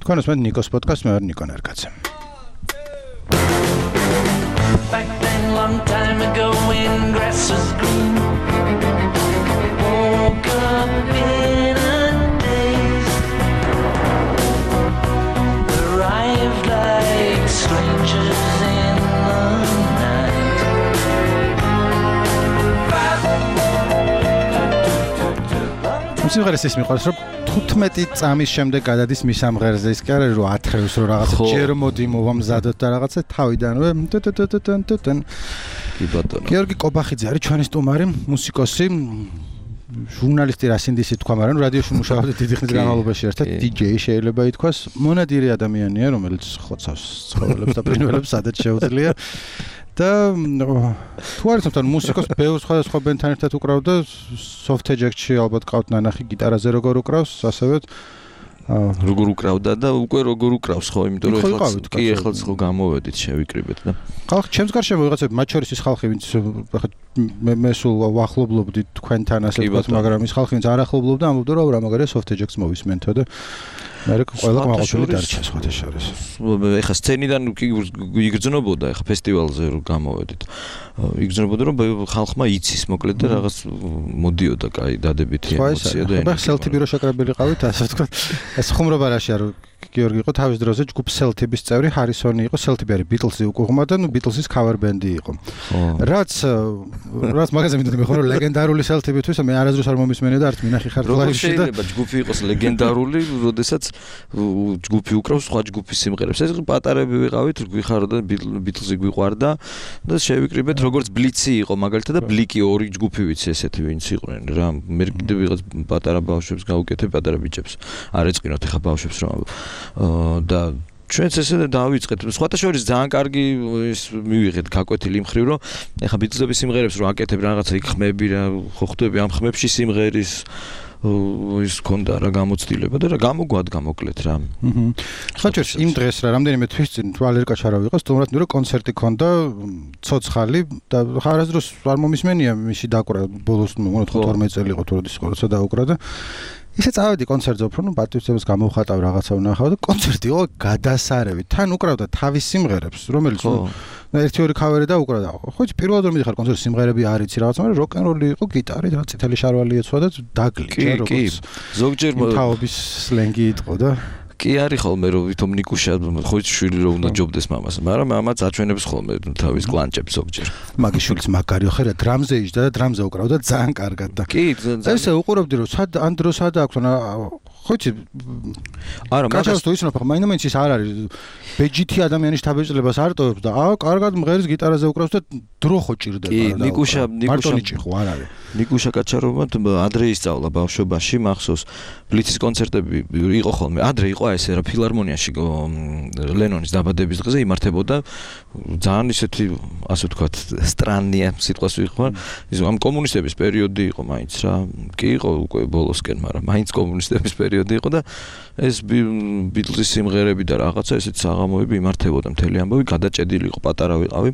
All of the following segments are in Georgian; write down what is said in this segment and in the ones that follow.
თქვენ უსმენთ ნიკოს პოდკასტს, მე ვარ ნიკო ნერგაძე. Back then, long time ago, when grass was green, woke up in a daze, arrived like strangers in the night. სიმღერას ის მიყვარს, რომ 15 წამის შემდეგ გადადის მის სამღერზე, ის კი არა რომ ათრევს რომ რაღაცა ჯერ მოდი მოვამზადოთ და რაღაცა თავიდანვე კი ბატონო. გიორგი კობახიძე არის ჩვენი სტუმარი, მუსიკოსი, ჟურნალისტი რასინდისი თქვა, მაგრამ რადიოში მუშაობდა დიდი ხნის განმავლობაში ერთად, DJ შეიძლება ითქვას, მონადირი ადამიანია, რომელიც ხოცავს ცხოველებს და ფრინველებს სადაც შეუძლია. და თუ არის თვითონ მუსიკოს ბევრ სხვადასხვა ბენდთან ერთად უკრავდა, soft eject-ში ალბათ ყავთ ნანახი გიტარაზე როგორ უკრავს, ასევე როგორ უკრავდა და უკვე როგორ უკრავს ხო, იმიტომ რომ ეხლა ხო გამოვედით, შევიკრიბეთ და ხალხი ჩემს გარშემო ვიღაცები, მათ შორის ის ხალხი, ვინც ახლა მე სულ ვახლობლობდი თქვენთან ასე ვთქვათ, მაგრამ ის ხალხი, ვინც არ ახლობლობდა, ამბობდა რომ რა მაგარია soft eject-ს მოვისმენთო და მე ყველა გამოყოლი დარჩა სხვათა შორის. ეხლა სცენიდან იგრძნობოდა, ეხლა ფესტივალზე რომ გამოვედით. იგრძნობოდა რომ ხალხმა იცის მოკლედ და რაღაც მოდიოდა კაი დადებითი ემოცია და ეხლა სელთიბი რო შეკრებილი ყავით, ასე ვთქვათ. ეს ხუმრობა რაში არ გიორგი იყო თავის დროზე ჯგუფ სელთიბის წევრი, ჰარისონი იყო, სელთიბი არის ბიტლსი უკუღმა და ნუ ბიტლსის cover band-ი იყო. რაც მაგაზე მინდოდა მე ხო რომ ლეგენდარული სელთიბისთვის მე არასდროს არ მომისმენია და არც მინახი ხარ ლაივში და შეიძლება ჯგუფი იყოს ლეგენდარული, როდესაც ჯგუფი უკრავს სხვა ჯგუფის სიმღერებს. ეს პატარები ვიყავით, გვიხარდა ბიტლსი გვიყვარდა და შევიკრიბეთ როგორც ბლიცი იყო მაგალითად და ბლიკი ორი ჯგუფი ვიცი ესეთი ვინც იყვნენ რა. მე კიდევ ვიღაც პატარა ბავშვებს გავუკეთებ, პატარა ბიჭებს. არ ეწყინოთ ეხა ბავშვებს რომ და ჩვენც ესე დავიწყეთ. სხვათა შორის ძალიან კარგი ის მივიღეთ გაკვეთილი იმ ხრივ, რომ ეხა ბიტლსების სიმღერებს რომ აკეთებ რაღაცა იქ ხმები რა, ხო ხვდები ამ ხმებში სიმღერის ის კონდა რა გამოცდილება და რა გამოგვადგა მოკლედ რა. ხაჭერს იმ დღეს რა რამდენიმე თვის წინ ვალერკა ჩარავიყო, სტუმრად ნუ რომ კონცერტი ქონდა ცოცხალი და არასდროს არ მომისმენია მისი დაკვრა ბოლოს ნუ 12 წელი იყო თუ როდის როცა დაუკრა და ისე წავედი კონცერტზე უფრო ნუ პატივცემს გამოვხატავ რაღაცა ვნახავ და კონცერტი იყო გადასარევი. თან უკრავდა თავის სიმღერებს, რომელიც ერთი ორი ქავერი დაუკრავდა. ხო იცი პირველად რომ მიდიხარ კონცერტში სიმღერები არ იცი რაღაცა, მაგრამ როკ-ენ-როლი იყო, გიტარი და წითელი შარვალი ეცვა და დაგლიჭა როგორც ზოგჯერ თაობის სლენგი იყო და კი არის ხოლმე რომ ვითომ ნიკუშა ხო შვილი რომ უნდა ჯობდეს მამას, მაგრამ მამაც აჩვენებს ხოლმე თავის კლანჭებს ზოგჯერ. მაგის შვილიც მაგარიო ხერა დრამზე იჯდა და დრამზე უკრავდა ძალიან კარგად და კი ესე უყურებდი რომ სად ან დრო სად აქვს ხო იცი არა მაგას თუ ისნოფ მაინც ის არ არის ბეჯითი ადამიანის თავისწლებას არ ტოვებს და კარგად მღერის გიტარაზე უკრავს და დრო ხო ჭირდება კი ნიკუშა ხო არ არის ნიკუშა კაჩაროვმა ადრე ისწავლა ბავშვობაში მახსოვს ბლიცის კონცერტები იყო ხოლმე ადრე იყო ესე რა ფილარმონიაში ლენონის დაბადების დღეზე იმართებოდა ძალიან ისეთი ასე ვთქვათ სტრანია სიტყვას ვიხმარ ის ამ კომუნისტების პერიოდი იყო მაინც რა კი იყო უკვე ბოლოსკენ მაგრამ მაინც კომუნისტების პერიოდი იყო და ეს ბიტლსის სიმღერები და რაღაცა ესეთ საღამოები იმართებოდა მთელი ამბავი გადაჭედილი იყო პატარა ვიყავი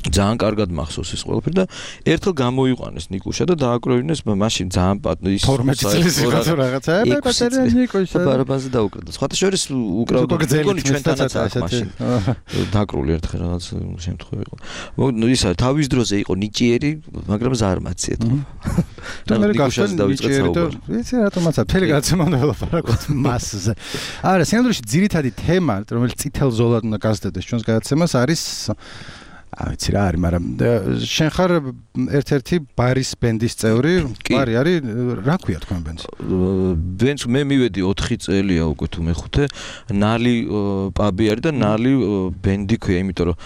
ძალიან კარგად მახსოვს ეს ყველაფერი და ერთხელ გამოიყვანეს ნიკუშა და დააკროვინეს მაშინ ძალიან ის 12 წლის იყო რაღაცა მე პატარა ნიკუშა ბარაბანზე დაუკრავდა სხვათა შორის უკრავდა გონი ჩვენთანაც აქ მაშინ დაკრული ერთხელ რაღაც შემთხვევა იყო ისა თავის დროზე იყო ნიჭიერი მაგრამ ზარმაცია და მე გახსოვს დავიწყეთ საუბარი ვიცი რატომაც მთელი გადაცემა უნდა ველაპარაკოთ მასზე არა სინამდვილეში ძირითადი თემა რომელიც წითელ ზოლად უნდა გასდევდეს ჩვენს გადაცემას არის ვიცი რა არის, მაგრამ შენ ხარ ერთ-ერთი ბარის ბენდის წევრი, ბარი არის, რა ქვია თქვენ ბენდს? ბენდს მე მივედი 4 წელია უკვე თუ მე-5, ნალი პაბი არის და ნალი ბენდი ქვია, იმიტომ რომ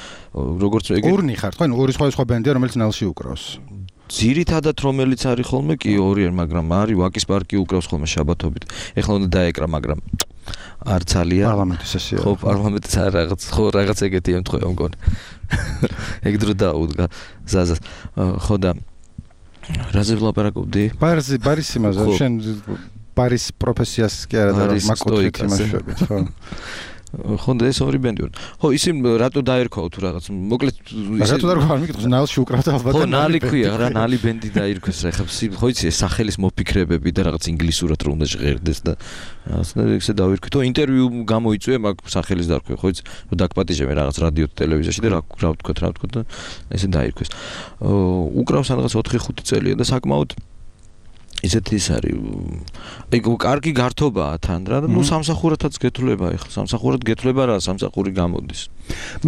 როგორც ეგ ორნი ხარ, თქვენ ორი სხვა ბენდია, რომელიც ნალში უკრავს. ძირითადად რომელიც არის ხოლმე კი ორი არის, მაგრამ არის ვაკის პარკი უკრავს ხოლმე შაბათობით. ეხლა უნდა დაეკრა, მაგრამ არ ძალიან პარლამენტის სესია. ხო, პარლამენტის რაღაც ეგეთი ემთხვევა მგონი. ეგ დრო დაუდგა ზაზას. ხო და რაზე ვლაპარაკობდი? ბარის იმაზე, შენ ბარის პროფესიას კი არა და მაკოტრიკს იმაშვებით, ხო. ხო და ეს ორი ბენდი ვარ. ხო ისინი რატო დაერქვა თუ რაღაც მოკლედ რატო დაერქვა არ მიკითხოს ნალში უკრავდა ალბათ ხო ნალი ქვია რა ნალი ბენდი დაერქვეს რა ხო იცი ეს სახელის მოფიქრებები და რაღაც ინგლისურად რო უნდა ჟღერდეს და რაღაცა ეგზე დავირქვი თუ ინტერვიუ გამოიწვია მაგ სახელის დარქვი ხო იცი რომ დაგპატიჟე მე რაღაც რადიო ტელევიზიაში და რა ვთქვა და ესე დაირქვეს უკრავს რაღაც 4-5 წელია და საკმაოდ ისეთი ის არის ეგ კარგი გართობაა თან რა და ნუ სამსახურათაც გეთვლება ეხლა სამსახურად გეთვლება რა სამსახური გამოდის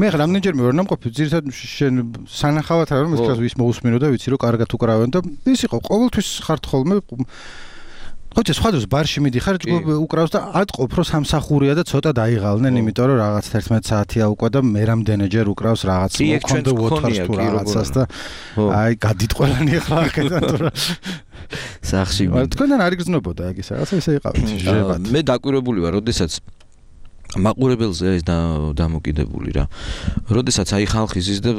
მე რამდენჯერმე ვარ ნამყოფი ძირითადად შენ სანახავად რა რომ ეს კლას ვის მოусმინო და ვიცი რომ კარგად უკრავენ და ის იყო ყოველთვის ხართ ხოლმე ხოჭე სხვა დროს ბარში მიდიხარ უკრავს და ატყობ რომ სამსახურია და ცოტა დაიღალნენ იმიტომ რომ რაღაც 11 საათია უკვე და მე რამდენჯერ უკრავს რაღაც მოქონდა ვოთარს თუ რაღაცას და აი გადით ყველანი ახლა აქედან თუ რა სახში თქვენთან არ იგრძნობოდა ეგ ის რაღაცა ისე იყავით მე დაკვირვებული ვარ როდესაც მაყურებელზე ეს დამოკიდებული რა. როდესაც აი ხალხი ზის და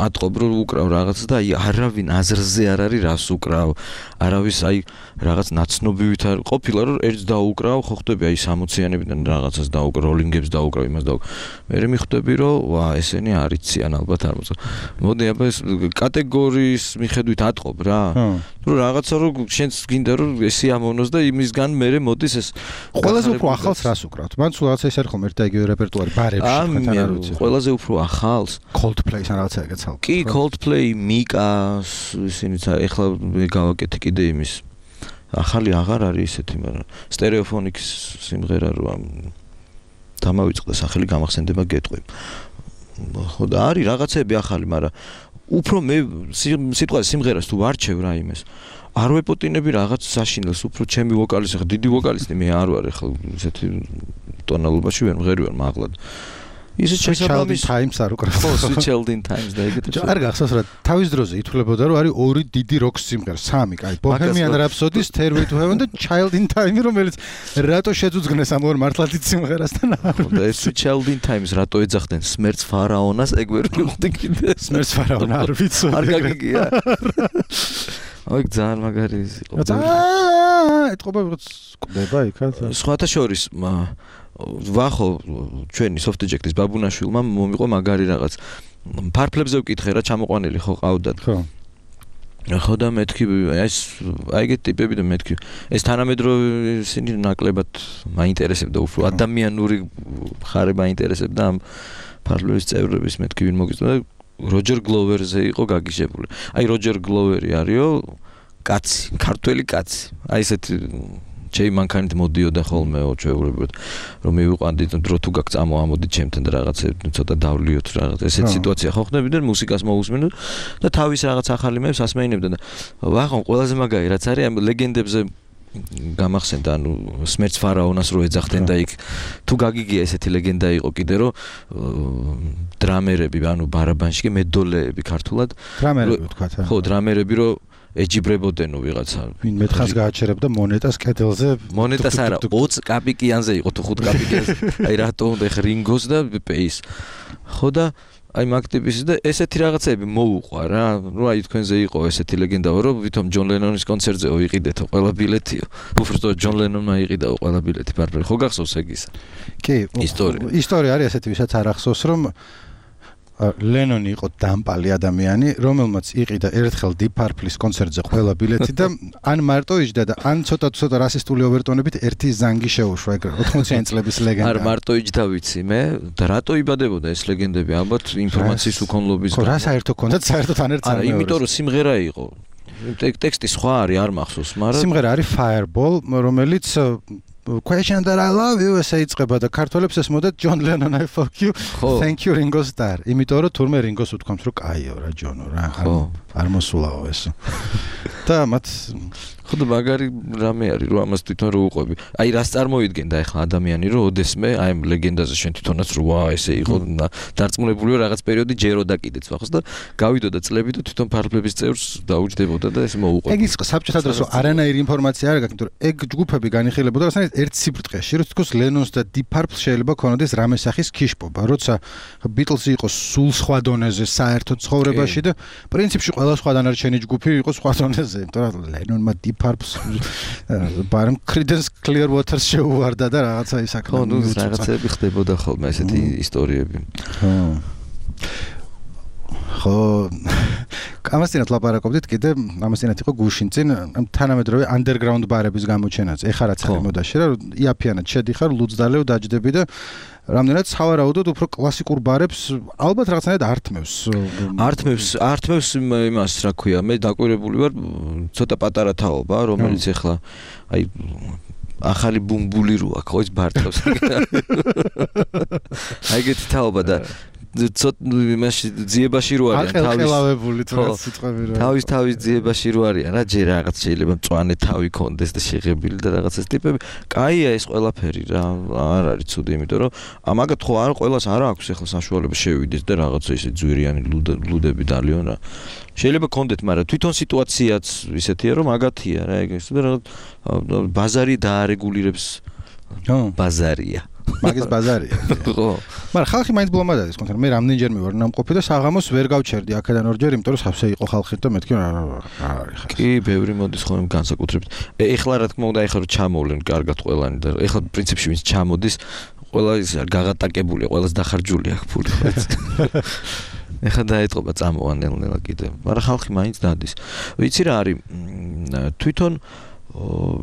ატყობ რომ უკრავ რაღაც და აი არავინ აზრზე არ არის რას უკრავ. არავის აი რაღაც ნაცნობივით არ ყოფილა რომ ერთს დაუკრავ, ხო ხვდები აი 60-იანებიდან რაღაცას დაუკრავ, როლინგებს დაუკრავ, იმას დაუკრავ. მე მიხვდები რომ ვა ესენი არ იციან ალბათ არ მოწ. მოდი აბა ეს კატეგორიის მიხედვით ატყობ რა. თუ რაღაცა რომ შენს გინდა რომ ესი ამოვნოს და იმისგან მე მოდის ეს ყველაზე უფრო ახალს რას უკრავთ? მან სულ რაღაცა ის არ ხომ ერთ და იგივე რეპერტუარი ბარებში თქვენთან არ ვიცი. ყველაზე უფრო ახალს Coldplay-ს რაღაცა ეგეც ალბათ. კი Coldplay, Mika, ისინიც ეხლა გავაკეთე კიდე იმის. ახალი აღარ არის ისეთი, მაგრამ Stereophonics სიმღერა რა დამავიწყდა სახელი გამახსენდება გეტყვი. ხო და არის რაღაცები ახალი, მაგრამ უფრო მე სიტყვაზე სიმღერას თუ ვარჩევ რა იმეს. არ ვეპოტინები რაღაც საშინელს, უფრო ჩემი ვოკალის ხა დიდი ვოკალისტი მე არ ვარ ახლა ისეთი ტონალობაში ვერ მღერი ვარ მაღლად. ისე შესაბამის Times არ უკრავს. ხო, Child in Times და ეგეთი. არ გახსოვს რა თავის დროზე ითვლებოდა რომ არის ორი დიდი როკ სიმღერა, სამი, კაი, Bohemian Rhapsody-ს Stairway to Heaven და Child in Time, რომელიც რატო შეძუძგნეს ამ ორ მართლა დიდ სიმღერასთან. და ეს Child in Times რატო ეძახდნენ სმერც ფარაონას, ეგ ვერ ვიხდი კიდე. სმერც ფარაონა არ ვიცი. არ გაგიგია. აი ძალიან მაგარი იყო. ეთყობა ვიღაც ყდება იქაც. სხვათა შორის ვახო ჩვენი soft eject-ის ბაბუნაშვილმა მომიყვა მაგარი რაღაც ფარფლებზე ვკითხე რა ჩამოყვანილი ხო ყავდათ. ხო. ხო და მეთქი ეს აიგეთ ტიპები და მეთქი ეს თანამედროვე ისინი ნაკლებად მაინტერესებდა უფრო ადამიანური ხარე მაინტერესებდა ამ ფარფლების წევრების მეთქი ვინ მოგიწოდა როჯერ გლოვერზე იყო გაგიჟებული. აი როჯერ გლოვერი არისო კაცი, ქართველი კაცი. აი ესეთი ჩემი მანქანით მოდიოდა ხოლმე ჩვეულებრივად რომ მივიყვანდით დრო თუ გაგ წამოამოდით ჩემთან და რაღაცები ცოტა დავლიოთ რაღაც ესეთი სიტუაცია ხო ხდები და მუსიკას მოусმინოთ და თავის რაღაც ახალი მეებს ასმეინებდა და ვახონ ყველაზე მაგარი რაც არის ამ ლეგენდებზე გამახსენდა ანუ სმერც ფარაონას რო ეძახდნენ და იქ თუ გაგიგია ესეთი ლეგენდა იყო კიდე რომ დრამერები ანუ ბარაბანში მედოლეები ქართულად დრამერები თქვა ხო დრამერები რო ეჯიბრებოდენო ვიღაცა ვინ მეთხას გააჩერებდა მონეტას კედელზე მონეტას არა 20 კაპიკიანზე იყო თუ 5 კაპიკიანზე აი რატო უნდა ხ რინგოს და პეის ხო და აი მაგტიპის და ესეთი რაღაცები მოუყვა რა ნუ აი თქვენზე იყო ესეთი ლეგენდა რომ ვითომ ჯონ ლენონის კონცერტზე ვიყიდეთო ყველა ბილეთიო უბრალოდ ჯონ ლენონმა იყიდაო ყველა ბილეთი ბარბერი ხო გახსოვს ეგ ისა კი ისტორია არის ესეთი ვისაც არ ახსოვს რომ ლენონი იყო დამპალი ადამიანი, რომელმაც იყიდა ერთხელ Deep Purple-ის კონცერტზე ყველა ბილეთი და ან მარტო იჯდა და ან ცოტა რასისტული ოვერტონებით ერთი ზანგი შეუშვა ეგ 80-იან წლების ლეგენდა. არ მარტო იჯდა ვიცი მე და რატო იბადებოდა ეს ლეგენდები ალბათ ინფორმაციის უკონლობისგან. ხო რა საერთო კონდათ საერთოდ ან ერთ არა იმიტომ რომ სიმღერა იყო. ტექსტი სხვა არის არ მახსოვს, მაგრამ სიმღერა არის Fireball, რომელიც Question that I love you ესე იწყება და ქართველებს ეს მოდეთ John Lennon I fuck you thank you Ringo Starr იმიტომ რომ თურმე რინგოს უთქვამს რომ კაიო რა ჯონო რა არ მოსულაო ეს და მათ ხო და მაგარი რამე არის რომ ამას თვითონ რო უყვები აი რას წარმოიდგენდა ახლა ადამიანი რომ ოდესმე აი ამ ლეგენდაზე შენ თვითონაც რო ვა ესე იყო დარწმუნებული რომ რაღაც პერიოდი ჯეროდა კიდეც ვახოს და გავიდოდა წლები და თვითონ ფარფლების წევრს დაუჯდებოდა და ეს მოუყვება ეგ ის საბჭოთა დროს რომ არანაირი ინფორმაცია არ გაქვს იმიტომ რომ ეგ ჯგუფები განიხილებოდა რასაც ერთ სიბრტყეში რომ თქოს ლენონს და Deep Purple შეიძლება ქონოდეს რამე სახის ქიშპობა როცა ბიტლსი იყო სულ სხვა დონეზე საერთო ცხოვრებაში და პრინციპში ყველა სხვა დანარჩენი ჯგუფი იყო სხვა დონეზე იმიტომ რომ ლენონმა Deep ფარფს ბარემ Creedence Clearwater შეუვარდა და რაღაცა ის აქ. ხო, ნუ რაღაცები ხდებოდა ხოლმე ესეთი ისტორიები. ხო ამასთანავე ლაპარაკობდით კიდე ამასთანავე იყო გუშინ წინ თანამედროვე underground ბარების გამოჩენაც. ეხლა რაც არის მოდაში რა იაფიანად შედიხარ ლუძდალევ დაჯდები და რამდენად სავარაუდოდ უფრო კლასიკურ ბარებს ალბათ რაღაცნაირად ართმევს იმას რა ქვია მე დაკვირებული ვარ ცოტა პატარა თაობა რომელიც ეხლა აი ახალი ბუმბული რო აქ ხო ის ბარტყავს აი ეგეთი თაობა და იმაში ძიებაში რო არიან ყელყელავებული თუ რა სიტყვები რა თავის ძიებაში რო არიან რა ჯერ რაღაც შეიძლება მწვანე თავი კონდეს და შეღებილი და რაღაც ეს ტიპები კაია ეს ყველაფერი რა არ არის ცუდი იმიტომ რომ ამაგათ ხო არ ყველას არ აქვს ახლა საშუალება შევიდეს და რაღაცა ისე ძვირიანი ლუდები დალიონ რა შეიძლება კონდეთ მაგრამ თვითონ სიტუაციაც ისეთია რომ მაგათია რა ეგ ის და რაღაც ბაზარი დაარეგულირებს ბაზარია მაგის ბაზარია. ხო. მაგრამ ხალხი მაინც ბლომად არის, კონკრეტულად მე რამდენჯერმე ვარ ნამყოფი და საღამოს ვერ გავჩერდი აქედან ორჯერ, იმიტომ რომ სავსე იყო ხალხი და მეთქი რა არის ხა. კი, ბევრი მოდის ხოლმე განსაკუთრებით. ეხლა რა თქმა უნდა, ეხლა რომ ჩამოვლენ კარგად ყველანი და ეხლა პრინციპში ვინც ჩამოდის, ყველა ის გაღატაკებულია, ყველას დახარჯული აქვს ფული. ეხლა დაიწყება წამოვანელნელა კიდე. მაგრამ ხალხი მაინც დადის. ვიცი რა არის? თვითონ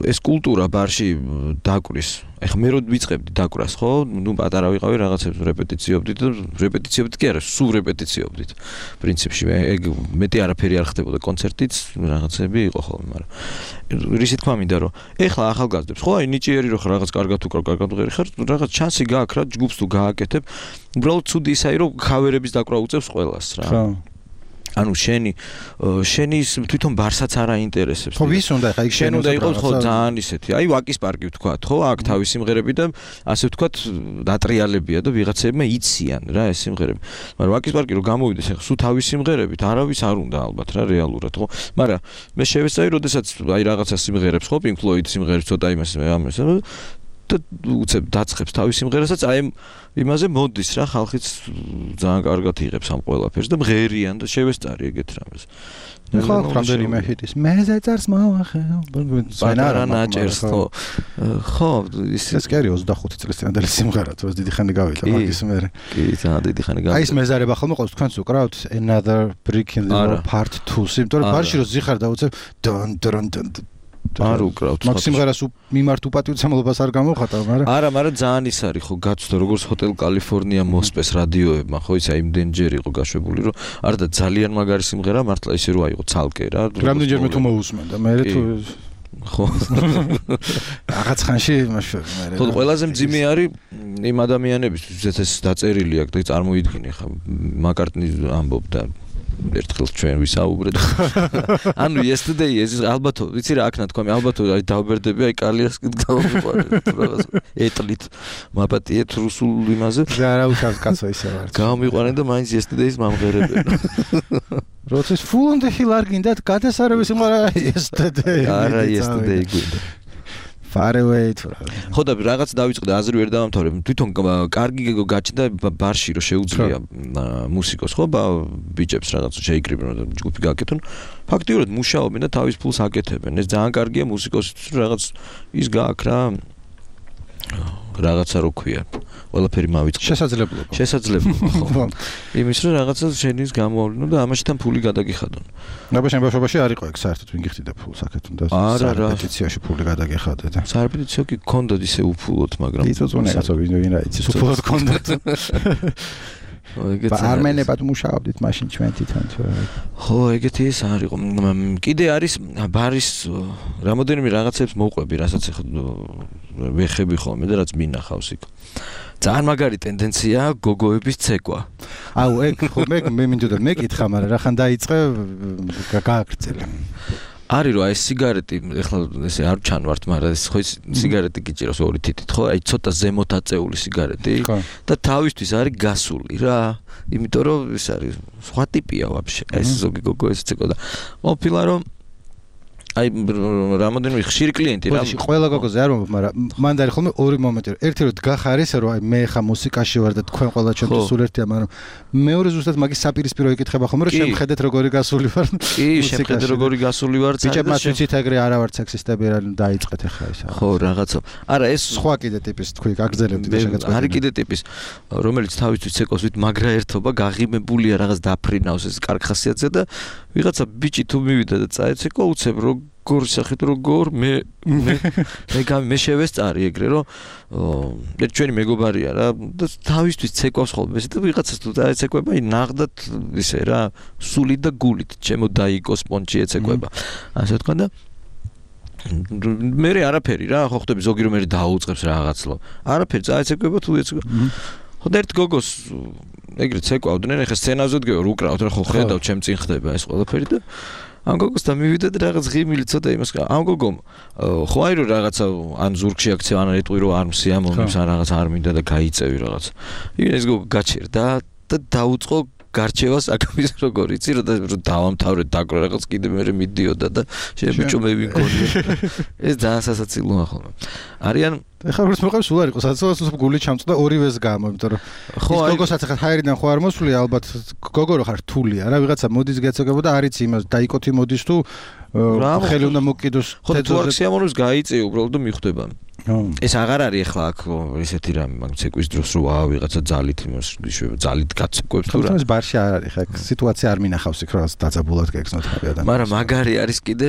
ეს კულტურა ბარში დაკვრის. ეხლა მე რო ვიწყებდი დაკვრას, ხო? ნუ პატარა ვიყავი რაღაცებს რეპეტიციობდით და რეპეტიციობდით კი არა, სულ რეპეტიციობდით. პრინციპში ეგ მეტი არაფერი არ ხდებოდა კონცერტიც, რაღაცები იყო ხოლმე, მაგრამ რისი თქვა მინდა რომ ეხლა ახალგაზრდებს, ხო, აი ნიჭიერი რო ხარ, რაღაც კარგად უკრავ, კარგად უღერი ხარ, რაღაც ჩანსი გააქვს რა, ჯგუფს თუ გააკეთებ, უბრალოდ ცუდი ისაა რომ ქავერების დაკვრა უწევს ყველას რა. ხო. ანუ შენი თვითონ ბარსაც არ აინტერესებს. ხო, ვის უნდა ხა იქ შენ უნდა იყოს ხო ძალიან ისეთი. აი ვაკის პარკი ვთქვათ, ხო, აქ თავის სიმღერები და ასე ვთქვათ დატრიალებია და ვიღაცებმა იციან რა ეს სიმღერები. მაგრამ ვაკის პარკი რო გამოვიდეს, ახლა სულ თავის სიმღერებით არავის არ უნდა ალბათ რა რეალურად, ხო? მაგრამ მე შევეცდები, როდესაც აი რაღაცა სიმღერებს, ხო, Pink Floyd სიმღერებს ცოტა იმას და უცებ დაწყებს თავის სიმღერასაც აი იმაზე მოდის რა ხალხიც ძალიან კარგად იღებს ამ ყველაფერს და მღერიან და შევესწარი ეგეთ რამეს. ხო, რამდენიმე ჰიტის მეზე წარს მოახევ. პატარა ნაჭერს ხო. ხო, ეს კი არის 25 წლის წინანდელი სიმღერა, თუ დიდი ხანი გავიდა მაგის მერე. კი, ძალიან დიდი ხანი გავიდა. აი ეს მეზარება ხოლმე ყოველთვის თქვენს უკრავთ Another Brick in the Wall Part 2-ს, იმიტომ რომ ბარში რო ზიხარ და უცებ დონ არ უკრავთ. მაგ სიმღერას მიმართ უპატივცემლობას არ გამოვხატავ, მაგრამ მაგრამ ძალიან ის არის ხო გაცვდა როგორც ჰოტელ კალიფორნია მოსპეს რადიოებმა, ხო ის აი იმდენჯერ იყო გაშვებული, რომ არ და ძალიან მაგარი სიმღერა მართლა ისე რო აიღო ცალკე რა. რამდენჯერმე თუ მოусმენ და მე თუ ხო რაღაც ხანში მე ხო ყველაზე მძიმე არის იმ ადამიანებისთვის, ვისაც ეს დაწერილი აქვს და წარმოიდგინე ხა მაკარტნი ამბობდა ერთხელ ჩვენ ვისაუბრეთ. ანუ yesterday ეს ალბათ ვიცი რა აქ ნათქვამი ალბათ აი დავბერდები აი კალიასკით გავიყვანეთ რაღაც ეტლით მაპატიეთ რუსულ იმაზე. რა უშავს კაცო ისე ვარ. გავიყვანეთ და მაინც yesterday-ის მამღერებენ. როცა full on the hill არ გინდათ გადასარევი სიმღერა yesterday. არა yesterday გვინდა. far away თუ ხო და რაღაც დავიწყდა აზრი ვერ დავამთავრე თვითონ კარგი გაჩნდა ბარში რომ შეუძლია მუსიკოს ხო ბიჭებს რაღაც შეიკრიბნენ და ჯგუფი გააკეთონ ფაქტიურად მუშაობენ და თავის ფულს აკეთებენ ეს ძალიან კარგია მუსიკოსისთვის რაღაც ის გააქვს რა რაღაცა რო ქვია ყველაფერი მავიწყდა შესაძლებლობა ხო იმის რომ რაღაცა შენის გამოავლინო და ამაში თან ფული გადაგიხადონ ნაბა შენ ბავშვობაში არ იყო ეგ საერთოდ ვინ გიხდიდა ფულს აკეთონ და რეპეტიციაში ფული გადაგიხადე და სარეპეტიციო კი გქონდათ ისე უფულოდ მაგრამ იწოწონე კაცო ვინ რა იცის უფულოდ გქონდათ არმენებად მუშაობდით მაშინ ჩვენ თვითონ ხო ეგეთი ის არ იყო კიდე არის ბარის რამოდენიმე რაღაცებს მოვყვები რასაც ვეხები ხოლმე და რაც მინახავს იქ ძალიან მაგარი ტენდენცია გოგოების ცეკვა აუ ეგ ხოლმე მე მინდოდა მეკითხა მაგრამ რახან დაიწყე გააგრძელე არის რომ აი სიგარეტი ეხლა ესე არ ჩანვართ მაგრამ ეს ხო სიგარეტი გიჭირავს ორი თითით ხო აი ცოტა ზემოთ აწეული სიგარეტი და თავისთვის არის გასული რა იმიტომ რომ ეს არის სხვა ტიპია ვაფშე ეს ზოგი გოგო ეს ცეკვა და ყოფილა რომ აი რამოდენიმე ხშირი კლიენტი რა. ბოდიში ყველა გოგოზე არ მომბ, მაგრამ მან დაი ხოლმე ორი მომენტი. ერთი რომ დგახარ ისე რომ აი მე ხა მუსიკაში ვარ და თქვენ ყველა ჩემთვის სულ ერთია, მაგრამ მეორე ზუსტად მაგის საპირისპირო იკითხება ხოლმე რომ შემხედეთ როგორი გასული ვარ. კი, შემხედეთ როგორი გასული ვარ. ბიჭებმა ვიცით ეგრე არა ვარ სექსისტები რა დაიწყეთ ახლა ისა. ხო, რაღაცა. არა, ეს სხვა კიდე ტიპის თქვი, გაგრძელებდი და შეგაწყვეტე. არის კიდე ტიპის, რომელიც თავისთვის ცეკავს ვით მაგრა ერთობა, გაღიმებულია რაღაც დაფრინავს ეს კარგ ხასიათზე და ვიღაცა ბიჭი თუ მივიდა და წაეცეკო უცებ როგორ სახით როგორ მე შევესწარი ეგრე რომ ჩვენი მეგობარია რა და თავისთვის ცეკვავს ხოლმე და ვიღაცას თუ დაეცეკვება ნაღდათ ისე რა სულით და გულით ჩემო დაიკოს პონჩი ეცეკვება ასე თქვა და მე არაფერი რა ხო ხტები ზოგი რომ მე დაუწყებს რაღაცლო არაფერი წაეცეკვება თუ ეცეკვება ხო და ერთ გოგოს ეგრე ცეკვავდნენ ეხა სცენაზე დგევარ უკრავთ რა ხო ხედავ ჩემ წინ ხდება ეს ყველაფერი და ამ გოგოს და მივიდა და რაღაც ღიმილი ცოტა იმას ამ გოგომ ხო აი რომ რაღაცა ან ზურგში აქცია ან ეტყვი რომ არ მსიამოვნებს ან რაღაც არ მინდა და გაიწევი რაღაც ეს გოგო გაჩერდა და დაუწყო გარჩევას აკამის როგორ იცი რომ დავამთავრეთ დაკრო რაღაც კიდე მე მიდიოდა და შებიჭო მე ვიგონია ეს ძალიან სასაცილოა ხოლმე არიან ეხლა როგორც მოყავს სულ არ იყო საცილოა გული ჩამწდა ორივეს გამო იმიტომ რომ ხო ის გოგოსაც ახლა ჰაერიდან ხო არ მოსვლია ალბათ გოგო რო ხარ რთულია რა ვიღაცა მოდის გეცეკება და არ იცი იმას დაიკოთი მოდის თუ ხელი უნდა მოკიდოს თეთრ სიამოვნებს გაიწე უბრალოდ და მიხვდება ეს აღარ არის ახლა აქ ესეთი რამე მაგ ცეკვის დროს რო ვიღაცა ძალით იმას ძალით გაცეკვებს თუ რა ეს ბარში არ არის ხა სიტუაცია არ მინახავს იქ რა დაძაბულად გეგზნოთ ადამიანს მაგრამ მაგარი არის კიდე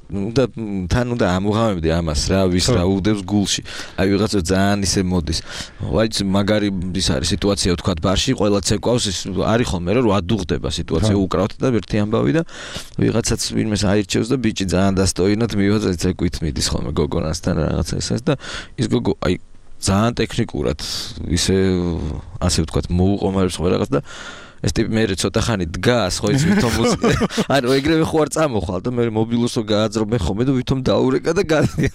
და თან უნდა ამოღამებდი ამას რა ვის რა უდევს გულში აი ვიღაცა ძალიან ისე მოდის ვაიც მაგარი ის არის სიტუაცია ვთქვა ბარში ყველა ცეკვავს ის არის ხოლმე რომ ადუღდება სიტუაცია უკრავთ და ერთი ამბავი და ვიღაცაც ვინმეს აირჩევს და ბიჭი ძალიან დასტოინად მივაძა ცეკვით მიდის ხოლმე გოგონასთან რაღაცა ესეც და ის გოგო აი ძალიან ტექნიკურად ისე ასე ვთქვა მოუყომარებს ხო რაღაც და ეს ტიპი მე ცოტა ხანი დგას ხო ის ვითომ ანუ ეგრევე ხო არ წამოხვალ და მე მობილოსო გააძრობენ ხოლმე და ვითომ დაურეკა და გადია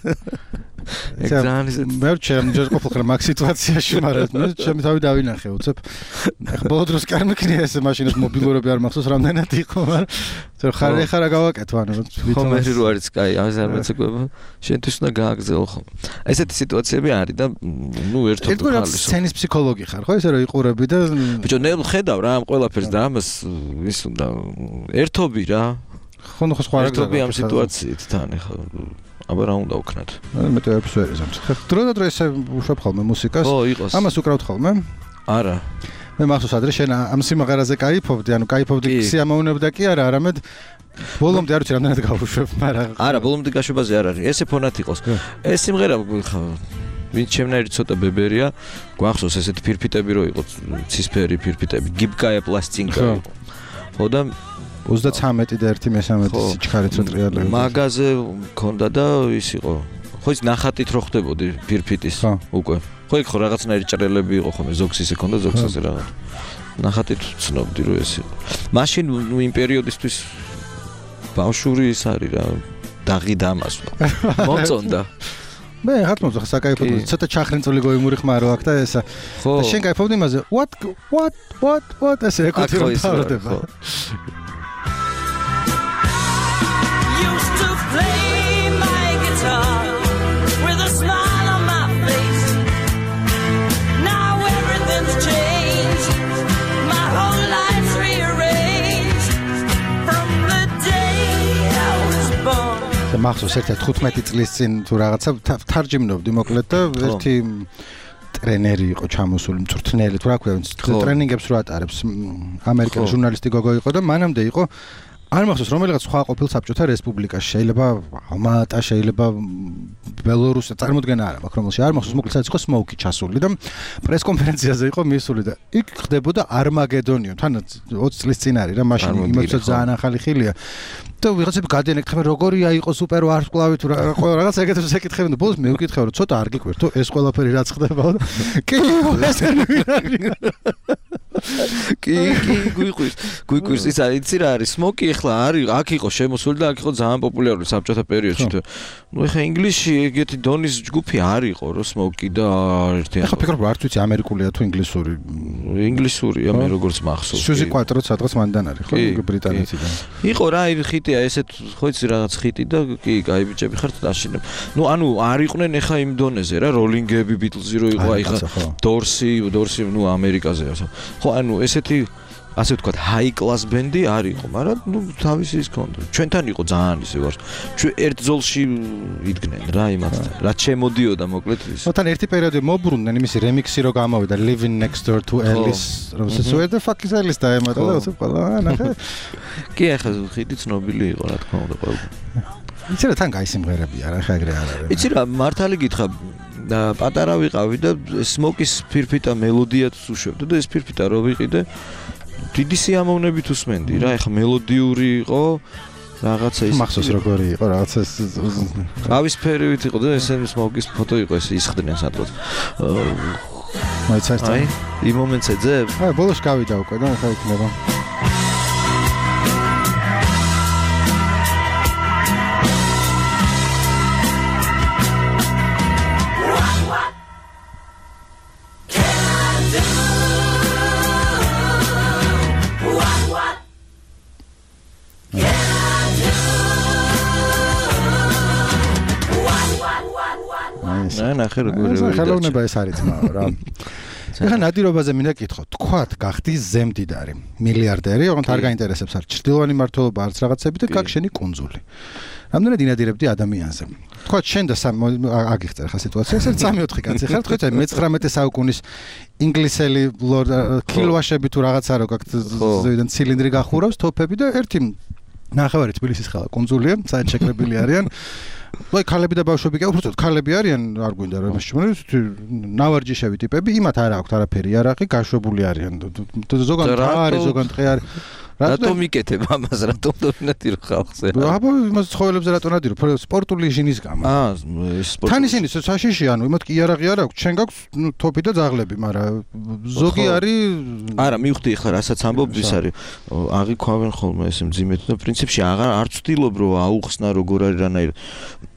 მე ვჩერდ ჯერ ყოფილიყარ მაგ სიტუაციაში მაგრამ მე ჩემი თავი დავინახე უცებ ეხლა ბოლო დროს კი არ მექნია ეს მაშინას მობილურები არ მახსოვს რამდენად იყო მაგრამ ხარ ეხლა რა გავაკეთო ანუ ვითომ მე რო არის კაი ამას არ მეცეკვება შენთვის უნდა გააგზავნო ხო ესეთი სიტუაციები არის და ნუ ერთობ ხალის სცენის ფსიქოლოგი ხარ ხო ესე რომ იყურები და ბიჭო ნელ ხედავ რა ამ ყველაფერს და ამას ის უნდა ერთობი რა ხო ნუ ხო სხვა ერთობი ამ სიტუაციით თან ეხლა აბა რა უნდა ვქნათ? მე ტეპს ვერ ეზამთ. დრო და დრო ესე ვუშვებ ხოლმე მუსიკას. ხო, იყოს. ამას უკრავთ ხოლმე? არა. მე მახსოვს ადრე შენ ამ სიმაღარაზე кайფობდი, ანუ кайფობდი სიამოვნებდა კი არა, არამედ ბოლომდე არ ვიცი რამდენად გავუშვებ, მაგრამ არა, ბოლომდე გაშვებაზე არ არის. ესე ფონად იყოს. ეს სიმღერა ვინც ჩემნაირი ცოტა ბებერია, გვახსოვს ესეთი ფირფიტები რო იყო, ცისფერი ფირფიტები, გიბკაია პლასტინკა. ხო და 33 და 1/13 სიჩქარეც რო ტრიალები. მაგაზე მქონდა და ის იყო. ხო ის ნახატით რო ხდებოდი ფირფიტის უკვე. ხო იქ ხო რაღაცნაირი ჭრელები იყო ხომ ზოგს ისე ქონდა ზოგს ასე რაღაც. ნახატით ვცნობდი რომ ეს იყო. მაშინ ნუ იმ პერიოდისთვის ბავშვური ის არის რა. დაღი დამასვა. მოწონდა. მე ხარ მოწონდა საკაიფოდ ცოტა ჩახრინწული გოიმური ხმარო აქ და ესა. და შენ кайფობდი იმაზე. What ესე ეკუთი რომ თავდება. მახსოვს ერთ 15 წლის წინ თუ რაღაცა თარჯიმნობდი მოკლედ და ერთი ტრენერი იყო ჩამოსული მწვრთნელი თუ რა ქვია ტრენინგებს რო ატარებს ამერიკელი ჟურნალისტი გოგო იყო და მანამდე იყო არ მახსოვს რომელიღაც სხვა ყოფილ საბჭოთა რესპუბლიკაში შეიძლება ალმატა შეიძლება ბელორუსია წარმოდგენა არა მაქვს რომელში არ მახსოვს მოკლედ იყო სმოუკი ჩასული და პრესკონფერენციაზე იყო მისული და იქ ხდებოდა არმაგედონიო თან 20 წლის წინ არის რა მაშინ იმეცო ძალიან ახალი ხილია და ვიღაცები გადაენეკითხებენ როგორია იყო სუპერ ვარსკვლავი თუ რაღაც ეგეთებს ეკითხებენ და ბოლოს მე ვკითხე რომ ცოტა არ გიკვირთო ეს ყველაფერი რაც ხდებოდა კი ეს არ ვინარი კი, გვიყვირს იცი რა არის სმოკი ახლა არის აქ იყო შემოსული და აქ იყო ძალიან პოპულარული საბჭოთა პერიოდში თუ ნუ ახლა ინგლისში ეგეთი დონის ჯგუფი არ იყო რო სმოკი და ერთი ახლა ფიქრობ არც ვიცი ამერიკულია თუ ინგლისური ინგლისურია მე როგორც მახსოვს სუზი კვატროც სადღაც მანდან არის ხო ბრიტანეთიდან იყო რა ხიტია ესეთ ხო იცი რაღაც ხიტი და კი კაი ბიჭები ხართ დაშინებ ნუ ანუ არ იყვნენ ახლა იმ დონეზე რა როლინგები ბიტლზი რო იყო აი ხა დორსი ნუ ამერიკაზეა ხო ანუ ესეთი ასე ვთქვათ high class band-ი არ იყო, მაგრამ ნუ თავისი ის ქონდა. ჩვენთან იყო ძალიან ისე ვარ. ჩვენ ერთ ზოლში იდგნენ რა იმათთან. რაც შემოდიოდა მოკლედ ის. მოთან ერთი პერიოდი მოbrunდნენ იმისი remix-ი რო გამოვიდა Living Next Door to Alice, რომელსაც where the fuck is Alice დაემატა და უცებ ყველა ნახე. კი ახლა ხიდი ცნობილი იყო რა თქმა უნდა ყველა. იცი რა თან გაისიმღერებია რა ხა ეგრე არ არის. იცი რა მართალი გითხრა და პატარა ვიყავი და სმოკის ფირფიტა მელოდიაც უშვებდა და ეს ფირფიტა რო ვიყიდე დიდი სიამოვნებით უსმენდი რა ეხა მელოდიური იყო რაღაცა ის მახსოვს როგორი იყო რაღაცა ავისფერივით იყო და ესენი სმოკის ფოტო იყო ეს ისხდნენ სადღაც მაიცას აი იმ მომენტს ეძებ აი ბოლოს გავიდა უკვე და ხა იქნება ნახე როგორი ხელოვნება ეს არის ძმაო რა. ეხლა ნადირობაზე მინდა კითხო. თქვათ გახდი ზემდიდარი, მილიარდერი, ოღონდ არ გაინტერესებს არ ჭრდილოვანი მართლობა არც რაღაცები და გაგშენი კუნძული. რამდენად ინადირებდი ადამიანზე. თქვათ შენ და აგიხსნა ხა სიტუაცია, ეს 3-4 კაცი ხარ, თქვით აი მე-19 საუკუნის ინგლისელი კილვაშები თუ რაღაცა რო გაქვთ ზევიდან ცილინდრი გახურავს, თოფები და ერთი ნახევარი თბილისის ხალა კუნძულია, საერთოდ შეკრებილი არიან. ვაი ქალები და ბავშვები კი უბრალოდ ქალები არიან არ გვინდა რომ ეს ნავარჯიშები ტიპები იმათ არ აქვს არაფერი იარაღი გაშვებული არიან ზოგან არის ზოგან ტყე არის რატომ იკეთებ ამას რატომ დონატირო ხალხზე აბა იმას ცხოველებზე რატომ ნადირო სპორტული ჟინის გამო თან ისინი საშიში ანუ იმათ კი იარაღი არ აქვს ჩვენ გაქვს თოფი და ძაღლები მაგრამ ზოგი არის არა მივხვდი ახლა რასაც ამბობ ის არის აღიქვავენ ხოლმე ეს მძიმედ და პრინციპში არ ვცდილობ რომ აუხსნა როგორ არის რანაირად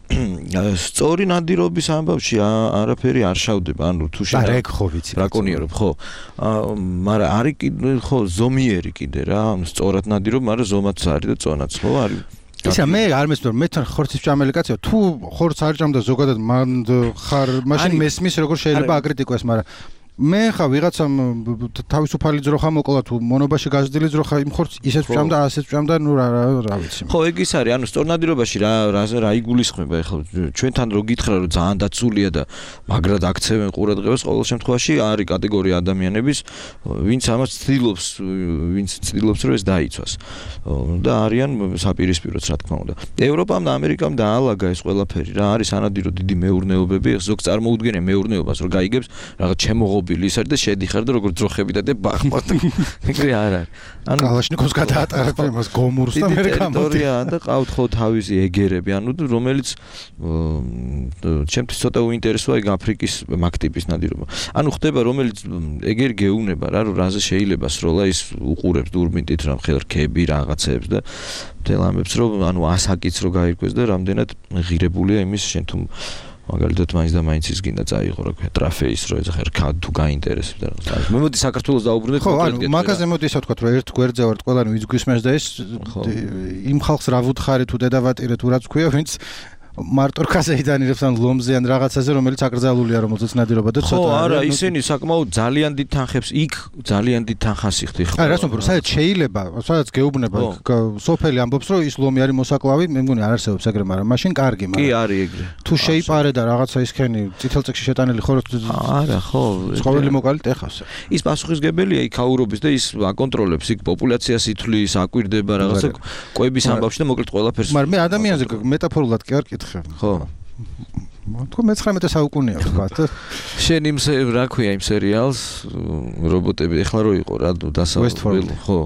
სწორი ნადირობის ამბავში არაფერი არ შავდება ანუ თუ შენ რა ხო ვიცი რაკონიერობ ხო მაგრამ არის კიდე ხო ზომიერი კიდე რა სწორად ნადირობ მაგრამ ზომაც არის და წონაც ხო არის ისა მე არ მესმის რომ მე თან ხორცის ჭამელი კაცია თუ ხორცს არ ჭამდა ზოგადად მან ხარ მაშინ მესმის როგორ შეიძლება აკრიტიკოს მაგრამ მე ხა ვიღაცამ თავისუფალი ძროხა მოკლა თუ მონობაში გაზრდილი ძროხა იმ ხორცს ისეც ჭამდა ასეც ჭამდა ნუ რა ვიცი ხო ეგ ის არის ანუ სწორნადირობაში რა იგულისხმება ახლა ჩვენთან რო გითხრა რომ ძალიან დაცულია და მაგრად აქცევენ ყურადღებას ყოველ შემთხვევაში არის კატეგორია ადამიანების ვინც ამას ცდილობს რომ ეს დაიცვას და არიან საპირისპიროც რა თქმა უნდა ევროპამ და ამერიკამ დაალაგა ეს ყველაფერი რა არის ანადირო დიდი მეურნეობები ზოგ წარმოუდგენია მეურნეობას რომ გაიგებს რაღაც ჩემო ის არის და შედიხარ და როგორ ძროხები და ბახმად ეგრე არ არის ანუ კალაშნიკოვს გადაატარებ იმას გომურს და მე ტერიტორია და ყავთ ხო თავისი ეგერები ანუ რომელიც ჩემთვის ცოტა უინტერესოა ეგ აფრიკის მაგტიპის ნადირობა ანუ ხდება რომელიც ეგერი გეუნება რა რომ რაზე შეიძლება სროლა ის უყურებს დურბინით რა ხერქები რაღაცებს და თელამებს რომ ანუ ასაკიც რო გაირკვეს და რამდენად ღირებულია იმის შენ თუ მაგალითად მაინც და მაინც ის გინდა წაიღო რა ქვია ტრაფეის რო ეს ხერქა თუ გაინტერესებს და რა მე მოდი საქართველოს დაუბრუნდეთ ხო ანუ მაგაზე მოდი ისე ვთქვათ რომ ერთ გვერდზე ვართ ყველანი ვინც გვისმენს და ეს იმ ხალხს რა ვუთხარი თუ დედავატირე თუ რაც ქვია ვინც მარტო რქაზეიდან ირებს ან ლომზე ან რაღაცაზე რომელიც აკრძალულია რომელზეც ნადირობა და ცოტა ხო არა ისინი საკმაოდ ძალიან დიდ თანხებს იქ ძალიან დიდ თანხას იხდი ხო არა რას ვამბობ საერთოდ შეიძლება სადაც გეუბნება სოფელი ამბობს რომ ის ლომი არის მოსაკლავი მე მგონი არ არსებობს ეგრე მაგრამ მაშინ კარგი მაგრამ კი არის ეგრე თუ შეიპარე და რაღაცა ისქენი წითელ წიგში შეტანილი ხო არა ხო ცხოველი მოკალით ეხავს ის პასუხისგებელია იქ აურობის და ის აკონტროლებს იქ პოპულაციას ითვლის აკვირდება რაღაცა კვების ამბავში და მოკლედ ყველაფერს მაგრამ მე ადამიანზე მეტაფორულად კი არ ხო თქო მე-19 საუკუნეა ვთქვათ შენ იმ რა ქვია იმ სერიალს რობოტები ეხლა რო იყო რა დასავლეთ ხო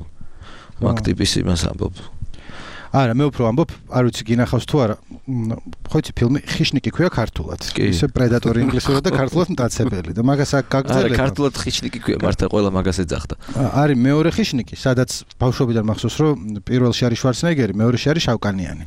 მაგ ტიპის იმას ამბობ არა, მე უფრო ამბობ, არ ვიცი გინახავს თუ არა. ხო იცი ფილმი ხიშნიკი ქვია ქართულად. ისე პრედატორი ინგლისურად და ქართულად მტაცებელი და მაგას აქ გაგრძელება. არა, ქართულად ხიშნიკი ქვია, მართლა ყველა მაგას ეძახდა. არის მეორე ხიშნიკი, სადაც ბავშვობიდან მახსოვს, რომ პირველში არის შვარცნეგერი, მეორეში არის შავკანიანი.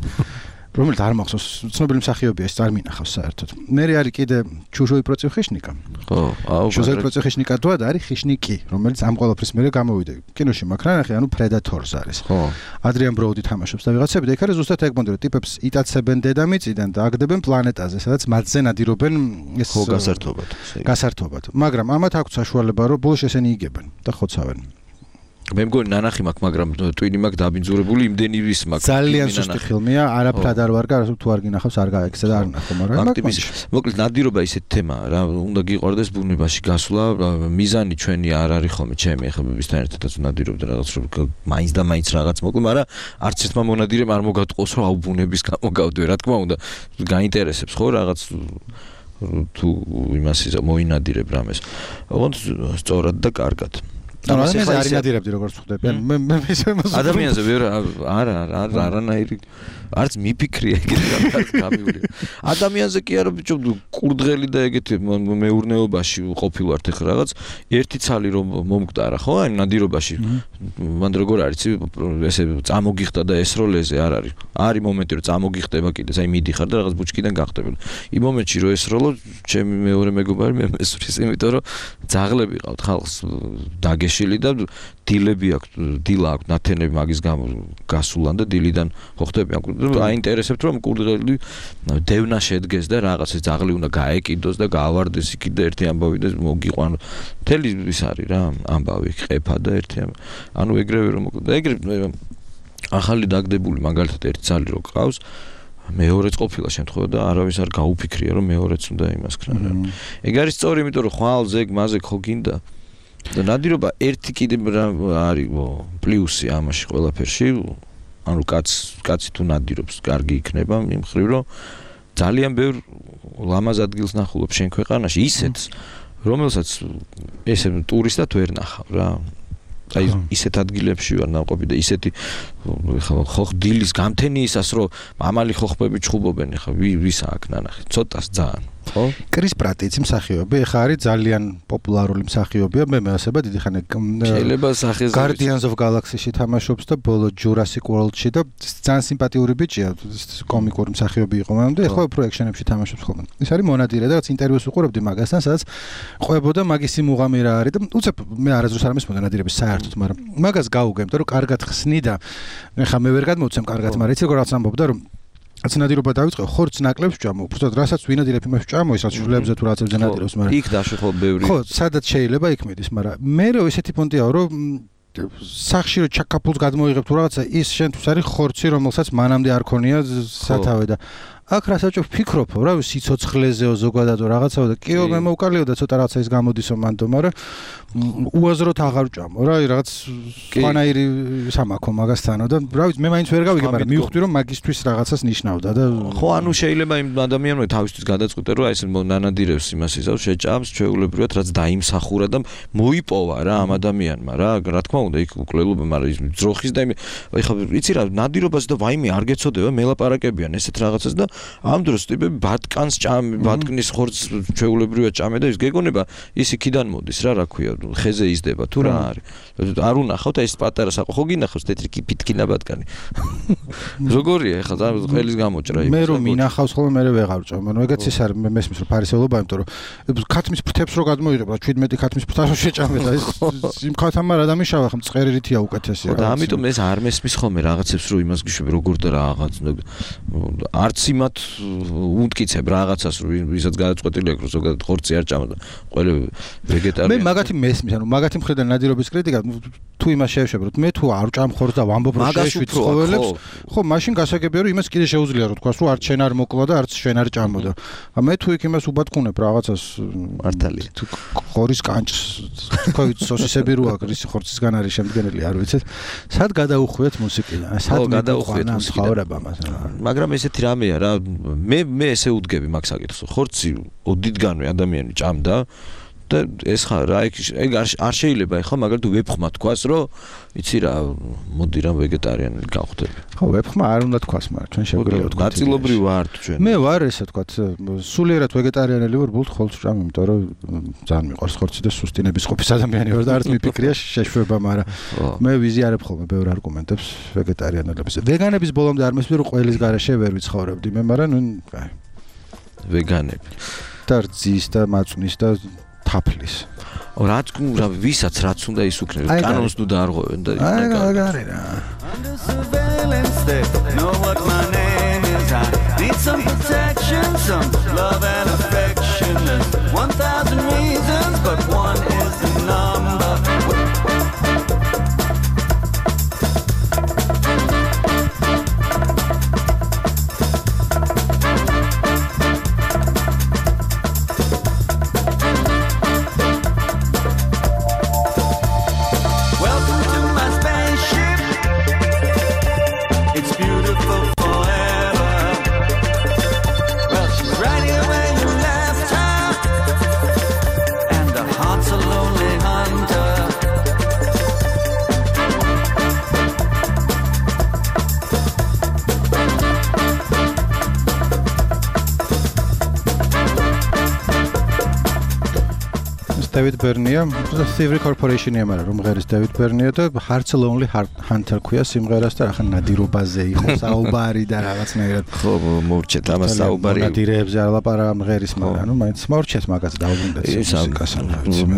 რომელიც არ მახსოვს, ცნობილი მსახიობია, ეს არ მინახავს საერთოდ. მე არის კიდე ჩუჟოი პროცევ ხიშნიკა. ხო, აუ, ჩუჟოი პროცევ ხიშნიკა თუ არის ხიშნიკი, რომელიც ამ ყველაფრის მერე გამოვიდა. კინოში მაქრანახი, ანუ პრედატორს არის. ხო. ადრიან ბროუდი თამაშობს და ვიღაცები და იქ არის ზუსტად ეგ მონდე, რომ ტიპებს იტაცებენ დედამიწიდან და აგდებენ პლანეტაზე, სადაც მათზე ნადირობენ ეს გასართობად. მაგრამ ამათ აქვს საშუალება, რომ ბოლოს ესენი იგებენ და ხოცავენ. მე მგონი ნანახი მაქვს, მაგრამ ტვინი მაქვს დაბინძურებული, იმდენი ვის მაქვს. ძალიან სუსტი ფილმია, არაფრად არ ვარ, თუ არ გინახავს, არ გაექცე და არ ნახო, მაგრამ მოკლედ ნადირობა ისეთ თემაა რა, უნდა გიყვარდეს ბუნებაში გასვლა, მიზანი ჩვენი არ არის ხოლმე ჩემი, ახლა მისთან ერთადაც ნადირობდი რაღაც, რომ მაინც და მაინც რაღაც მოკლე, მაგრამ არც ერთმა მონადირემ არ მოგატყოს, რომ აუ ბუნების გამო გავდე, რა თქმა უნდა, გაინტერესებს ხო რაღაც თუ იმას მოინადირებ რამეს. ოღონდ სწორად და კარგად. ამას არ ინადირებდი როგორც ხვდები. მე ადამიანზე ვერ არანაირი არც მიფიქრია ეგეთი გამივლი. ადამიანზე კი არა ბიჭო კურდღელი და ეგეთი მეურნეობაში ყოფილვართ ახლა რაღაც ერთი ცალი რომ მომკვდარა ხო აი ნადირობაში. მან როგორ არის ესე წამოგიხდა და ესროლეზე არ არის. არის მომენტი რომ წამოგიხდება კიდეს აი მიდიხარ და რაღაც ბუჩკიდან გახტებოდი. იმ მომენტში რომ ესროლო ჩემი მეორე მეგობარი მე მესვრის იმიტომ რომ ძაღლები ყავთ ხალხს დაგეშილი და დილები აქვს დილა აქვს ნათენები მაგის გამო გასულან და დილიდან ხო ხტები აინტერესებთ რომ კურდღელი დევნა შედგეს და რაღაცა ძაღლი უნდა გაეკიდოს და გაავარდეს იქ და ერთი ამბავი და მოგიყვანო მთელი ის არის რა ამბავი ყეფა და ერთი ანუ ეგრევე რომ ეგრევე ახალი დაგდებული მაგალითად ერთი ძალი რო ყავს მეორეც ყოფილა შემთხვევა და არავის არ გაუფიქრია რომ მეორეც უნდა იმას ქნა რა ეგ არის სწორი იმიტომ რომ ხვალ ზეგ მაზე ხო გინდა და ნადირობა ერთი კიდე არის პლუსი ამაში ყველაფერში ანუ კაცი თუ ნადირობს კარგი იქნება იმ მხრივ რომ ძალიან ბევრ ლამაზ ადგილს ნახულობ შენ ქვეყანაში ისეთს რომელსაც ესე ტურისტად ვერ ნახავ რა აი ისეთ ადგილებში ვარ ნაყოფი და ისეთი ხო დილის გამთენიისას რომ ამალი ხოხბები ჩხუბობენ ხა ვის აქ ნანახი ცოტას ძალიან ხო კრის პრატიც მსახიობი ხა არის ძალიან პოპულარული მსახიობია მე მეასება დიდი ხანი შეიძლება სახეზე Guardians of Galaxy-ში თამაშობს და ბოლო Jurassic World-ში და ძალიან სიმპათიური ბიჭია კომიკური მსახიობი იყო მაგრამ და ხო უფრო ექშენებში თამაშობს ხოლმე ის არის მონადირე და რაც ინტერვიუს უყურებდი მაგასთან სადაც ყვებოდა მაგისი მუღამი რა არის და უცებ მე არასდროს არ მისმოდა ნადირების საერთოდ მაგრამ მაგას გაუგემდა რომ კარგად ხსნი და ხა მე ვერ გადმოვცემ კარგად მაგრამ იცი როგორ ამბობდა რომ ნადირობა დავიწყე ხორცს ნაკლებს ჭამო უბრალოდ რასაც ვინადირებ იმას ჭამო ისაც შულებზე თუ რაღაცებზე ნადირობს მაგრამ იქ დაში ხო ბევრი ხო სადაც შეიძლება იქ მიდის მაგრამ მე რო ესეთი პონტია რომ სახში რო ჩაკაფულს გადმოიღებ თუ რაღაცა ის შენთვის არის ხორცი რომელსაც მანამდე არ ქონია სათავე და აქ რასაც ვფიქრობ რა სიცოცხლეზეო ზოგადადო რაღაცაო და კიო მე მოვკალიო და ცოტა რაღაცა ის გამოდისო მანდო მაგრამ უაზროდ აღარ ჭამო რა რაღაც სხვანაირი სამაქო მაგასთანო და რა ვიცი მე მაინც ვერ გავიგე მაგრამ მივხვდი რომ მაგისთვის რაღაცას ნიშნავდა და ხო ანუ შეიძლება იმ ადამიანმა თავისთვის გადაწყვიტე რომ აი ეს ნანადირებს იმას ისევ შეჭამს ჩვეულებრივად რაც დაიმსახურა და მოიპოვა რა ამ ადამიანმა რა რა თქმა უნდა იქ უკლელობა მაგრამ ის ძროხის და აი ხა იცი რა ნადირობას და ვაიმე არ გეცოდება მელაპარაკებიან ესეთ რაღაცას და ამ დროს ტიპები ბატკანს ჭამე ბატკნის ხორცს ჩვეულებრივად ჭამე და ის გეგონება ის იქიდან მოდის რა ქვია ხეზე იზდება თუ რა არის არ უნახავთ ეს პატარა საყო ხო გინახავს თეთრი ფიტკინა ბატკანი როგორია ეხლა ყველის გამოჭრა მე რომ მინახავს ხოლმე მე ვეღარ ჭამ მაგრამ ეგაც ის არის მე მესმის რომ ფარისეულობა იმიტომ რომ ქათმის ფრთებს რო გადმოიღებ რა 17 ქათმის ფრთას შეჭამე და ის იმ ქათამ არ დამიშავა ხომ წერერითია უკეთესია და ამიტომ ეს არ მესმის ხოლმე რაღაცებს რომ იმას გიშვები როგორ და რაღაც არც იმათ უთკიცებ რაღაცას რომ ვისაც გადაწყვეტილი აქვს რომ ზოგადად ხორცი არ ჭამა და ყველა ვეგეტარიანი მე მაგათი მესმის ანუ მაგათი მხრიდან ნადირობის კრიტიკა თუ იმას შევშებ რომ მე თუ არ ჭამ ხორცს და ვამბობ რომ შეშვით ცხოველებს ხო მაშინ გასაგებია რომ იმას კიდე შეუძლია რომ თქვას რომ არც შენ არ მოკლა და არც შენ არ ჭამო და მე თუ იქ იმას უბატკუნებ რაღაცას მართალია თუ ხორის კანჭს თქვა სოსისები რო აქვს ისი ხორცისგან არის შემდგენელი არ ვიცით სად გადაუხვიეთ მუსიკიდან სად გადაუხვიეთ მუსიკიდან მაგრამ ესეთი რამეა რა მე ესე უდგები მაგ საკითხს ხორცი ოდითგანვე ადამიანი ჭამდა და ეს ხარ რა ეგ არ შეიძლება ეხლა მაგალითად ვებხმა თქვას რომ იცი რა მოდი რა ვეგეტარიანელი გავხდები. ხო, ვებხმა არ უნდა თქვას, მაგრამ ჩვენ შეგვიძლია ვთქვათ. ნაწილობრივ ვართ ჩვენ. მე ვარ ესე ვთქვათ, სულიერად ვეგეტარიანელი ვარ, ბულთ ხოლმე ვჭამ, იმიტომ რომ ძალიან მიყვარს ხორცი და სუსტინების ყოფის ადამიანი ვარ და არც მიფიქრია შეშვება, მაგრამ მე ვიზიარებ ხოლმე ბევრ არგუმენტებს ვეგეტარიანელების. ვეგანების ბოლომდე არ მესმის რომ ყველის გარეშე ვერ ვიცხოვრებდი მე, მაგრამ ნუ კაი. ვეგანები. და რძის და მაწვნის და თაფლის. რაც რა ვისაც რაც უნდა ის უქნეს კანონს თუ დაარღვევენ და აი გარი რა. Know what my name is. I need some protection, some love and affection. There's 1,000 reasons, but one is the number. David Bernea, Thievery Corporation-ია, მაგრამ რომ ღერის David Bernea და Hearts Lonely Hunter ქვია სიმღერას და ახლა ნადირობაზე იყო საუბარი და რაღაცნაირად. ხო, მოვჭეთ ამას საუბარი. ნადირებზე არ ლაპარაკა მღერის, მაგრამ ნუ მაინც მოვჭეთ მაგას დაუბრუნდეთ მუსიკას.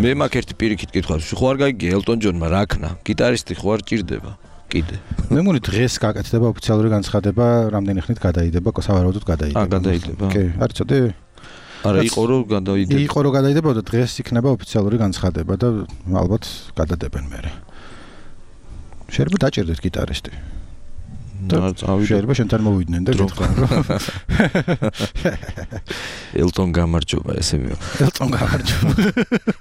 მე მაგ ერთი პირიქით კითხავს, ხო არ გაიგე Elton John-მა რა ქნა? გიტარისტი ხო არ ჭირდება? კიდე. მე მგონი დღეს გაკეთდება ოფიციალური განცხადება, რამდენი ხნით გადაიდება, სავარაუდოდ გადაიდება. გადაიდება. კი, არ იცოდი. არა, იყო რომ გადაიდება. იყო რომ გადაიდება და დღეს იქნება ოფიციალური განცხადება და ალბათ გადადებენ მერე. შეიძლება დაჭერდეთ გიტარისტი. შეიძლება შენთან მოვიდნენ და გითხრან რომ Elton გამარჯობა ესე მიო. Elton გამარჯობა.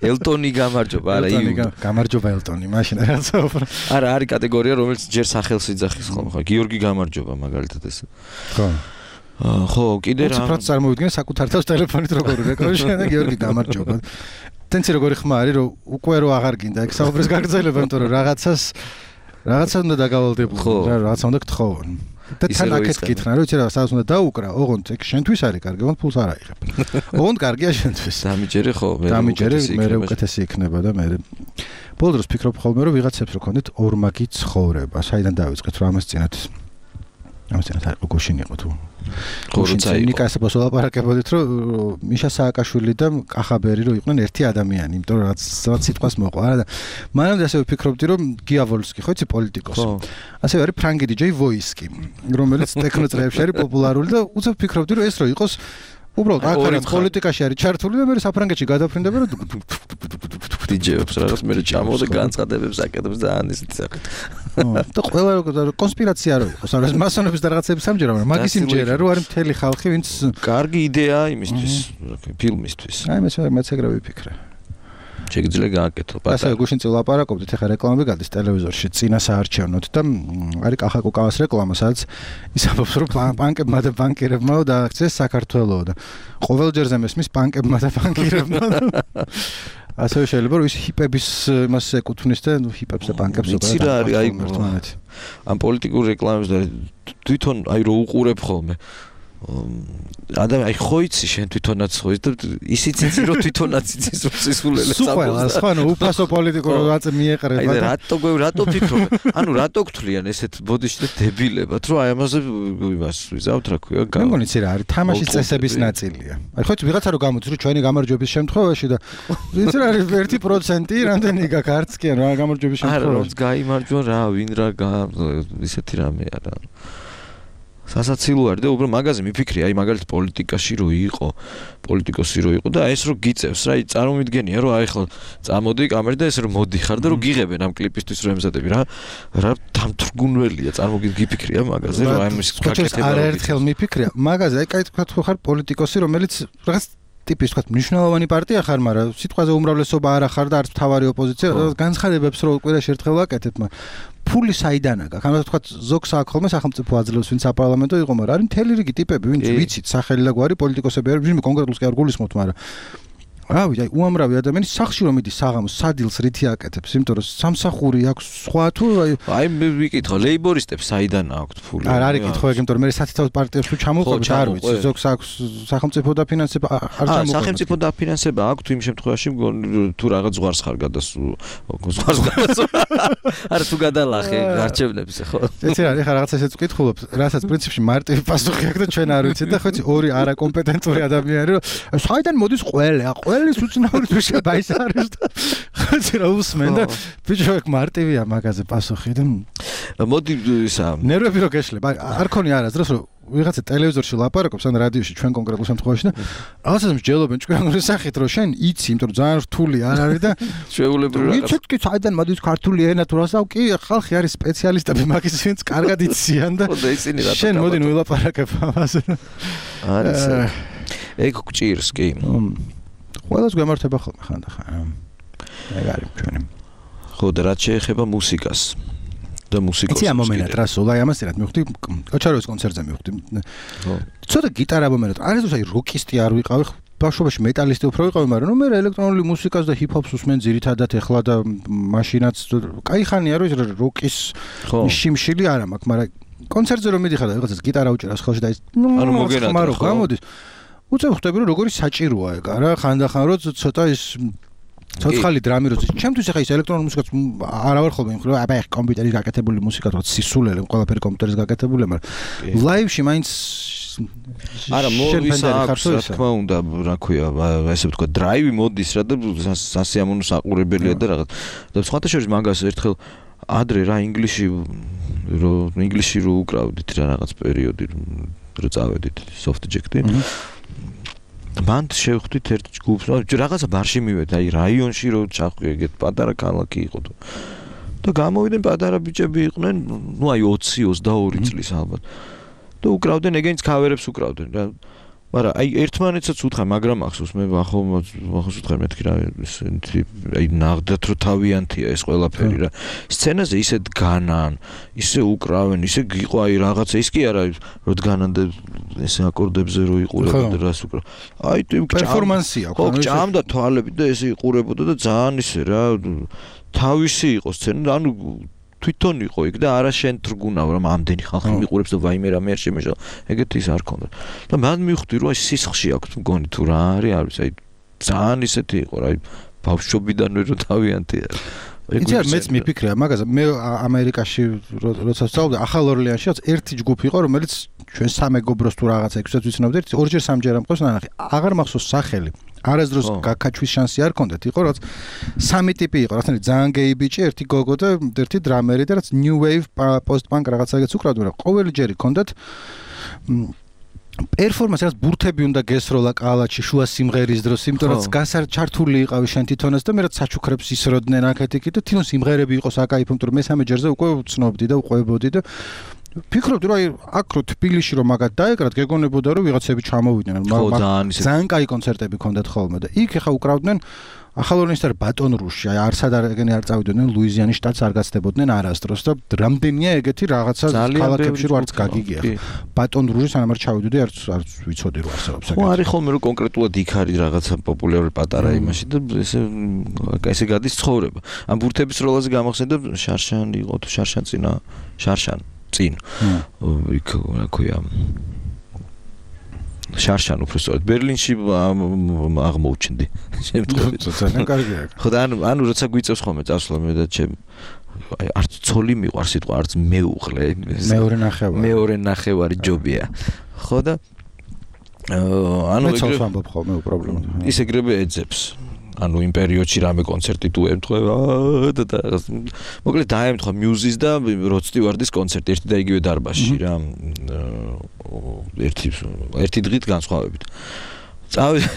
Elton-ი გამარჯობა, არა იუ. გამარჯობა Elton-ი, მაშინ რაღაც უფრო. არა, არის კატეგორია რომელიც ჯერ სახელს იძახის ხოლმე, ხო, გიორგი გამარჯობა მაგალითად ეს. ხო. ხო, კიდე რა. უცებ წარმოვიდგინე საკუთარ თავს ტელეფონით როგორ რეკორდშენ და გიორგი გამარჯობა. თენცი როგორი ხმა არის რომ უკვე რო აღარ გინდა ეგ საუბრის გაგრძელება, იმიტომ რომ რაღაცა უნდა დაგავალდებულო, რაღაცა უნდა გთხოვონ. და თან აქეთ გითხრან რომ იცი რა, სადაც უნდა დაუკრა, ოღონდ ეგ შენთვის არის კარგი, ოღონდ ფულს არ აიღებ. ოღონდ კარგია შენთვის. დამიჯერე ხო, მე უკეთესი იქნება და მე ბოლო დროს ფიქრობ ხოლმე რომ ვიღაცებს რო ქონდეთ ორმაგი ცხოვრება, საიდან დავიწყეთ რომ ამას წინათ გუშინ იყო თუ გუშინ ნიკას ბოსოლაპარაკებოდით რომ მიშა სააკაშვილი და კახაბერი რო იყვნენ ერთი ადამიანი, იმიტომ რომ რაც სიტყვას მოყვა არა და მანამდე ასევე ვფიქრობდი რომ გიავოლსკი ხო იცი პოლიტიკოსი. ასევე არის ფრანგი DJ ვოისკი, რომელიც ტექნო წრეებში არის პოპულარული და უცებ ვფიქრობდი რომ ეს რო იყოს უბრალოდ აქ არის პოლიტიკაში არის ჩართული და მე საფრანგეთში გადაფრინდება რომ DJ-ებს რაღაც მე ჩამოვდა განცხადებებს აკეთებს და ან ისეთი სახით. და ყველა კონსპირაცია რო იყოს, ანუ მასონების და რაღაცების სამჯერა, მაგრამ მაგის იმჯერა რომ არის მთელი ხალხი, ვინც კარგი იდეაა იმისთვის, ფილმისთვის. აი მეც ეგრე ვიფიქრე. შეგიძლია გააკეთო პატარა. ასე გუშინ წილ ლაპარაკობდით, ეხლა რეკლამები გადის ტელევიზორში, წინა საარჩევნოდ და არის კახაკოკავას რეკლამა, სადაც ისაბობს რომ ბანკებმა და ბანკირებმა დააქციეს საქართველო და ყოველჯერზე მესმის ბანკებმა და ბანკირებმა. ასევე შეიძლება რომ ის ჰიპების იმას ეკუთვნის და ჰიპებს და ბანკებს იცი რა არის აი ამ პოლიტიკურ რეკლამებს და თვითონ აი რო უყურებ ხოლმე ადამიანი აი ხო იცი შენ თვითონაც ხო და ისიც იცი რომ თვითონაც იცის რომ სისულელე საფოს სხვა ნუ უფასო პოლიტიკურ რატო მიეყრება აი რატო ფიქრობ ანუ რატო გთვლიან ესეთ ბოდიში და დებილებად რომ აი ამაზე იმას ვიზავთ რა ქვია მე მგონი იცი რა არის თამაშის წესების ნაწილია აი ხო იცი ვიღაცა რო გამოდის რომ ჩვენი გამარჯვების შემთხვევაში და იცი რა არის 1% რამდენი გაქვს არც კი რა გამარჯვების შემთხვევაში არა რომ გაიმარჯვა რა ვინ რა ისეთი რამე არა სასაცილო არის და უბრალოდ მაგაზე მიფიქრი აი მაგალითად პოლიტიკაში რო იყო პოლიტიკოსი რო იყო და ეს რო გიწევს რა წარმომიდგენია რომ აი ხო წამოდი კამერა და ეს რო მოდიხარ და რო გიღებენ ამ კლიპისთვის რო ემზადები რა დამთრგუნველია წარმოგიფიქრია მაგაზე რომ აი მის გაკეთება არაერთხელ მიფიქრია მაგაზე აი კაი თქვა თუ ხარ პოლიტიკოსი რომელიც რაღაც ტიპის თქვა მნიშვნელოვანი პარტია ხარ მაგრამ სიტყვაზე უმრავლესობა არ ახარ და არც მთავარი ოპოზიცია განცხადებებს რო კვირაში ერთხელ ვაკეთებ მაგრამ ფული საიდანა გაქვს ანუ თქვა ზოგს აქ ხოლმე სახელმწიფო აძლევს ვინც საპარლამენტო იყო მაგრამ არის მთელი რიგი ტიპები ვინც ვიცით სახელი და გვარი პოლიტიკოსები არის ვინმე კონკრეტულს კი არ გულისხმობთ მაგრამ რავი, აი უამრავი ადამიანი სახლში რომ მიდის საღამოს სადილს რითი აკეთებს, იმიტომ რომ სამსახური აქვს სხვა თუ აი მე ვიკითხო ლეიბორისტებს საიდან აქვთ ფული? არ იკითხო ეგ, იმიტომ რომ მე სათითაოდ პარტიებს თუ ჩამოვყობთ, არ ვიცი, ზოგს აქვს სახელმწიფო დაფინანსება, არ ჩამოვყობთ. სახელმწიფო დაფინანსება აქვს იმ შემთხვევაში თუ რაღაც ზღვარს ხარ ზღვარს არა თუ გადალახე გარჩევნებს ხო? ეცი რა, ეხლა რაღაცა ესეც ვკითხულობ, რასაც პრინციპში მარტივი პასუხი აქვს და ჩვენ არ ვიცით და ხო იცი ორი არაკომპეტენტური ადამიანი რომ საიდან მოდის ყველის უცნაური თუ შეიძლება ის არის და ხო იცი რა უსმენ და ბიჭო ეგ მარტივია მაგაზე პასუხი და მოდი ისა ნერვები რო გეშლება არ ქონი არასდროს რომ ვიღაცა ტელევიზორში ლაპარაკობს ან რადიოში ჩვენ კონკრეტულ შემთხვევაში და რაღაცას მსჯელობენ ჭკვიანური სახით რომ შენ იცი იმიტომ რომ ძალიან რთული არ არის და შეუულებრივი რაღაც იცით კი საიდან მოდის ქართული ენა თუ რასაო კი ხალხი არის სპეციალისტები მაგის ვინც კარგად იციან და შენ მოდი ვილაპარაკებ ამაზე არის ეგ გჭირს კი ყველას გვემართება ხოლმე ხანდახან ეგ არის ჩვენი ხო და რაც შეეხება მუსიკას და მუსიკოს იცი ამ მომენტად რა სულ აი ამას ერთად მივხვდი ოჩაროვის კონცერტზე მივხვდი ცოტა გიტარა მომენტად არის აი როკისტი არ ვიყავი ბავშვობაში მეტალისტი უფრო ვიყავი მაგრამ ნუ მე ელექტრონული მუსიკას და ჰიპ-ჰოპს უსმენ ძირითადად ეხლა და მაშინაც კაი ხანია რომ როკის შიმშილი არ მაქვს მაგრამ კონცერტზე რომ მიდიხარ და რაღაცას გიტარა უჭერავს ხელში და ის ანუ მოგენატრა ხო გამოდის უცებ ხვდები რომ როგორი საჭიროა ეგ არა ხანდახან რომ ცოტა ის ცოცხალი დრამი როცა ჩემთვის ახლა ის ელექტრონული მუსიკაც არ ვარ ხოლმე იმხრივ აბა ეხ კომპიუტერის გაკეთებული მუსიკა თორე სისულელე ყველაფერი კომპიუტერის გაკეთებული მაგრამ ლაივში მაინც არა მოდის აქვს რა თქმა უნდა რა ქვია ესე ვთქვა დრაივი მოდის რა და სასიამოვნო საყურებელია და რაღაც და სხვათა შორის მაგას ერთხელ ადრე რა ინგლისში რო უკრავდით რა რაღაც პერიოდი რო წავედით soft jack-ი მან შევხვდით ერთ ჯგუფს რაღაცა ბარში მივედი აი რაიონში რო ჩახვი ეგეთ პატარა ქალაქი იყო და გამოვიდნენ პატარა ბიჭები იყვნენ ნუ აი 20-22 წლის ალბათ და უკრავდნენ ეგენიც ქავერებს უკრავდნენ რა მაგრამ აი ერთმანეთსაც უთხრა მაგრამ ახსოვს მე ახალ უთხრა მეთქი რა აი ნაღდათ რო თავიანთია ეს ყველაფერი რა სცენაზე ისე დგანან ისე უკრავენ ისე იყო აი რაღაცა ის კი არა რო დგანან და ესე აკორდებზე რო იყურებოდა რას უკრავ აი პერფორმანსია ხო ჭამდა თვალები და ესე იყურებოდა და ძალიან ისე რა თავისი იყო სცენა ანუ თვითონ იყო იქ და არა შენ თრგუნავ რომ ამდენი ხალხი მიყურებს და ვაიმე რამე არ შემეშალა ეგეთი ის არ ქონდა და მან მივხვდი რომ აი სისხლში აქვს მგონი თუ რა არის აი ძალიან ისეთი იყო რა აი ბავშვობიდანვე რო თავიანთია იცი არ მეც მიფიქრია მაგაზე მე ამერიკაში როცა ვსწავლობდი ახალ ორლეანშიც ერთი ჯგუფი იყო რომელიც ჩვენ სამეგობროს თუ რაღაცა ექვსად ვიცნობდით ორჯერ სამჯერ ამყავს ნანახი აღარ მახსოვს სახელი არასდროს გაკაჩვის შანსი არ ქონდეთ იყო რაც სამი ტიპი იყო რაღაცნაირად ძალიან გეი ბიჭი ერთი გოგო და ერთი დრამერი და რაც new wave post punk რაღაცაგეც უკრავდნენ მაგრამ ყოველი ჯერი ქონდათ პერფორმანსი რაც ბურთები უნდა გესროლა კალაჩი შუა სიმღერის დროს იმიტომ რომ გასარჩართული იყავი შენ თვითონაც და მე რაც საჩუქრებს ისროდნენ აქეთ-იქით და თვითონ სიმღერები იყო საკაიფო იმიტომ რომ მესამე ჯერზე უკვე ვცნობდი და უყვებოდი და ფიქრობდი რომ აი აქ რო თბილისში რომ მაგათ დაეკრათ გეგონებოდა რომ ვიღაცები ჩამოვიდნენ ძალიან კაი კონცერტები ქონდათ ხოლმე და იქ ხა უკრავდნენ ახალორნისთან ბატონ რუში აი არსად ეგენი არ წავიდნენ ლუიზიანის შტატს არ გაცდებოდნენ არასდროს და რამდენია ეგეთი რაღაცა ქალაქებში რო არც გაგიგია ბატონ რუში სანამ არ ჩავიდოდი არც ვიცოდი რომ არსებობს ეგეთი ხო არის ხოლმე რომ კონკრეტულად იქ არის რაღაცა პოპულარული პატარა იმაში და ესე გადის ცხოვრება ამ ბურთების როლაზე გამახსენდა შარშან იყო თუ შარშან წინ იქ რა ქვია შარშან უფრო სწორად ბერლინში აღმოუჩნდი შემთხვევით ძალიან კარგია ხო და ანუ როცა გვიწევს ხოლმე წასვლა მე და ჩემ აი არც ცოლი მიყვარს სიტყვა არც მეუღლე მეორე ნახევარი ჯობია ხო და ანუ მეცავს ამბობ ხოლმე პრობლემა ის ეგრევე ეძებს ანუ იმ პერიოდში რამე კონცერტი თუ ემთხვევა და მოკლედ დაემთხვა მიუზის და როდ სტივარდის კონცერტი ერთი და იგივე დარბაზში რა ერთი დღით განსხვავებით წავედი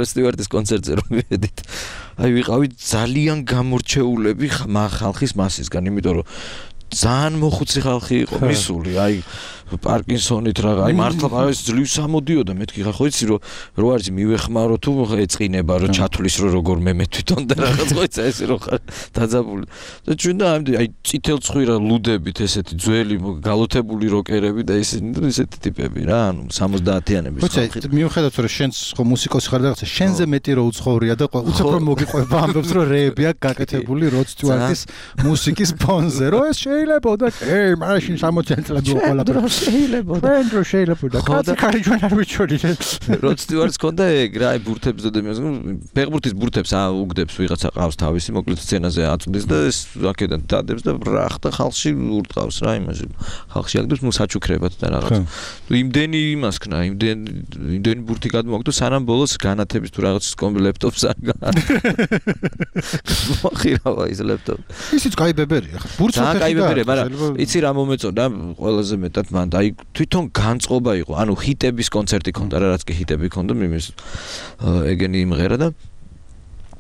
როდ სტივარდის კონცერტზე რომ მივედით აი ვიყავით ძალიან გამორჩეულები ხალხის მასისგან იმიტომ რომ ძალიან მოხუცი ხალხი იყო მისული აი პარკინსონით რა აი მართლა ეს ძლივს ამოდიოდა მეთქი ხარ ხო იცი რომ არის მივეხმარო თუ ეწყინება რომ ჩათulis რომ როგორ მე თვითონ და რაღაც ხო იცი ეს რომ ხარ დაძაბული და ჩვენ და აი წითელ ცხვირა ლუდებით ესეთი ძველი გალოთებული როკერები და ესეთი ტიპები რა ანუ 70-იანების ხალხი მიუხედავად რომ შენს ხო მუსიკოსი ხარ და რაღაცა შენზე მეტი რო უცხოურია და უცებ რომ მოგიყვება ამბობს რომ რეები აქვს გაკეთებული როდ სტიუარტის მუსიკის ფონზე რომ ეს შეიძლება და მაშინ 60 წლები უყოლა შეიძლება კაცი ხარი ჩვენ არ ვიცოდი როდ სტიუარტს ქონდა ეგ რა აი ბურთებს და ფეხბურთის ბურთებს უგდებს ვიღაცა ყავს თავისი მოკლედ სცენაზე აწვდის და ეს აქედან დადებს და ბრახ და ხალხში ურტყავს რა იმაში ხალხში აგდებს საჩუქრებად და რაღაც იმდენი იმას ქნა იმდენი ბურთი გადმოგდო სანამ ბოლოს განათების თუ რაღაც ლეპტოპს არ მოხირავა ის ლეპტოპი ისიც კაი ბებერია ხა ბურთს და კაი ბებერია მაგრამ იცი რა მომეწონა ყველაზე მეტად მან და აი თვითონ განწყობა იყო ანუ ჰიტების კონცერტი ქონდა რა რაც კი ჰიტები ქონდა მიმის ეგენი იმღერა და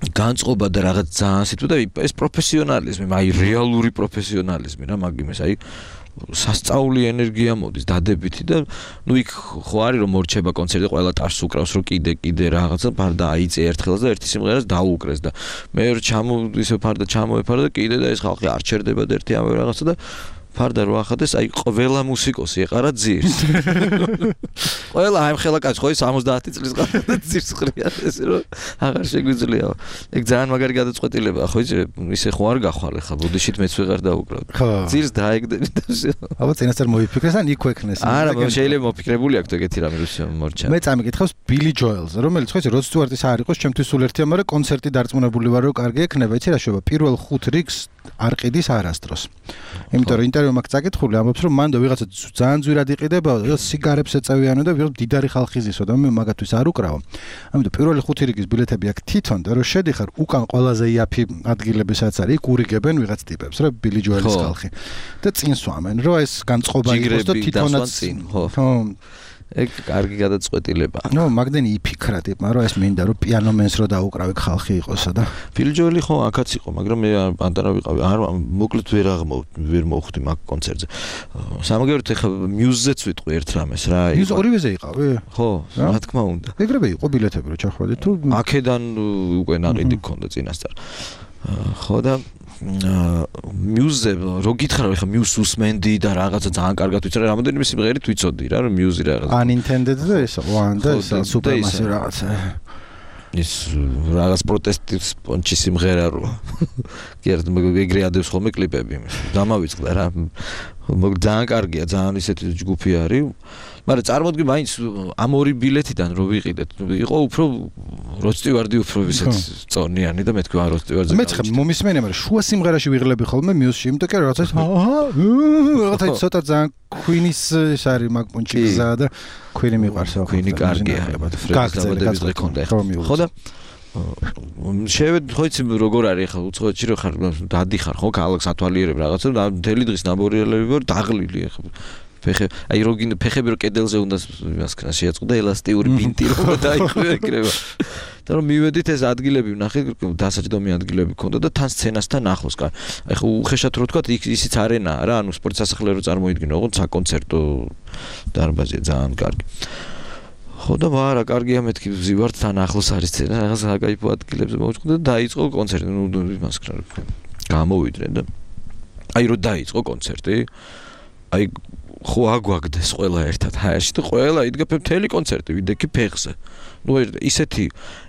განწყობა და რაღაც ძალიან სიტყვა და ეს პროფესიონალიზმი აი რეალური პროფესიონალიზმი რა მაგიმეს აი სასწაული ენერგია მოდის დადებითი და ნუ იქ ხო არის რომ მორჩება კონცერტი ყველა ტარს უკრავს რომ კიდე რაღაცა ფარდა აიწე ერთხელს და ერთი სიმღერას დაუკრეს და მე ისე ფარდა ჩამოეფარა და კიდე და ეს ხალხი არ ჩერდება და ერთი ამე რაღაცა და ფარდა რო ახადეს აი ყველა მუსიკოსი ეყარა ძირს ყველა აი ხელა კაცი ხო 70 წლის ყავდა ძირს ყრია ესე რომ აღარ შეგვიძლია ეგ ძალიან მაგარი გადაწყვეტილებაა ხო იცი ისე ხო არ გახვალ ხა ბუდიშით მეც ვეღარ დაუკრავ ძირს დაეგდები და აბა წინასწარ მოიფიქრეს ან იქ ვექნეს არა შეიძლება მოფიქრებული აქვს ეგეთი რამე რომ მორჩა მე წამიკითხავს ბილი ჯოელს რომელიც ხო იცი როდ სტიუარტის არ იყოს ჩემთვის სულ ერთია მაგრამ კონცერტი დარწმუნებული ვარ რომ კარგი ექნება იცი რა შევა პირველ 5 რიგს არ ყიდის არასდროს იმიტომ რომ ინტერვიუ მაქვს წაკითხული ამბობს რომ მანდ ვიღაცა ძალიან ძვირად იყიდებოდა და სიგარებს ეწევიანო და ვიღაც დიდარი ხალხი ზისო და მე მაგათვის არ უკრავო ამიტომ პირველი 5 რიგის ბილეთები აქვს თვითონ და რომ შედიხარ უკან ყველაზე იაფი ადგილებისაც არის იქ ურიგებენ ვიღაც ტიპებს რა ბილი ჯოელის ხალხი და წინ სვამენ რომ ეს განწყობა იყოს და თვითონაც ხო ეგ კარგი გადაწყვეტილებაა. ნუ მაგდენი იფიქრა ტიპმა რომ ეს მინდა რომ პიანომენს რო დაუკრავი ხალხი იყოსა და ბილი ჯოელი ხო აქაც იყო, მაგრამ მე პანტარა ვიყავი. არ მოკლედ ვერ მოვხვდი მაგ კონცერტზე. სამაგეროთ ეხა მიუზზეც ვიტყვი ერთ რამეს რა. მიუზ ორივეზე იყავი? ხო, რა თქმა უნდა. ეგრევე იყო ბილეთები რო ჩახვედი თუ აქედან უკვე ნაყიდი გქონდა წინასწარ. ხო და მიუზზე რო გითხრა ეხა მიუზ უსმენდი და რაღაცა ძალიან კარგად ვიცი რა რამოდენიმე სიმღერით ვიცოდი რა რომ მიუზი რაღაცა unintended და ეს one და ეს supermassive რაღაცა ის რაღაც პროტესტის პონჩი სიმღერა რო კერდ ეგრე ადევს ხოლმე კლიპები დამავიწყდა რა ძალიან კარგია ძალიან ისეთი ჯგუფი არის მაგრამ წარმოდგი მაინც ამ ორი ბილეთიდან რო ვიყიდეთ იყო უფრო როდ სტიუარდი უფრო ისეთ წონიანი და მე თქვი როდ სტიუარდზე მე ხა მომისმენია მაგრამ შუა სიმღერაში ვიღლები ხოლმე მიუსში იმიტომ კი რაღაცა რაღაცა ცოტა ძალიან Queen-ის ეს არის მაგ პონჩი გზა და Queen-ი მიყვარს Queen-ი კარგია გაგზელების დღე ქონდა ხო და შევედ ხო იცი როგორ არის ხა უცხოეთში რო ხარ დადიხარ ხო ქალაქს ათვალიერებ რაღაცა და მთელი დღის ნაბორიელები ვარ დაღლილი ხა აი როგინ ფეხები რო კედელზე უნდა იმას ქნა შეაწყდა ელასტიური ბინტი რო დაიხრება და რომ მივედით ეს ადგილები ვნახე დასაჯდომი ადგილები ქონდა და თან სცენასთან ახლოს აი ხო უხეშად რო თქვა ისიც არენაა რა ანუ სპორტ სასახლე რო წარმოიდგინო ოღონდ საკონცერტო დარბაზია ძალიან კარგი ხო და ვარა კარგია მეთქი ვზივართ თან ახლოს არის სცენა რაღაც საკაიფო ადგილებზე მოვჭდა და დაიწყო კონცერტი ნუ იმას ქნა გამოვიდნენ და აი რო დაიწყო კონცერტი აი ხო აგვაგდეს ყველა ერთად ჰაერში და ყველა იდგა მთელი კონცერტი ვიდექი ფეხზე ნუ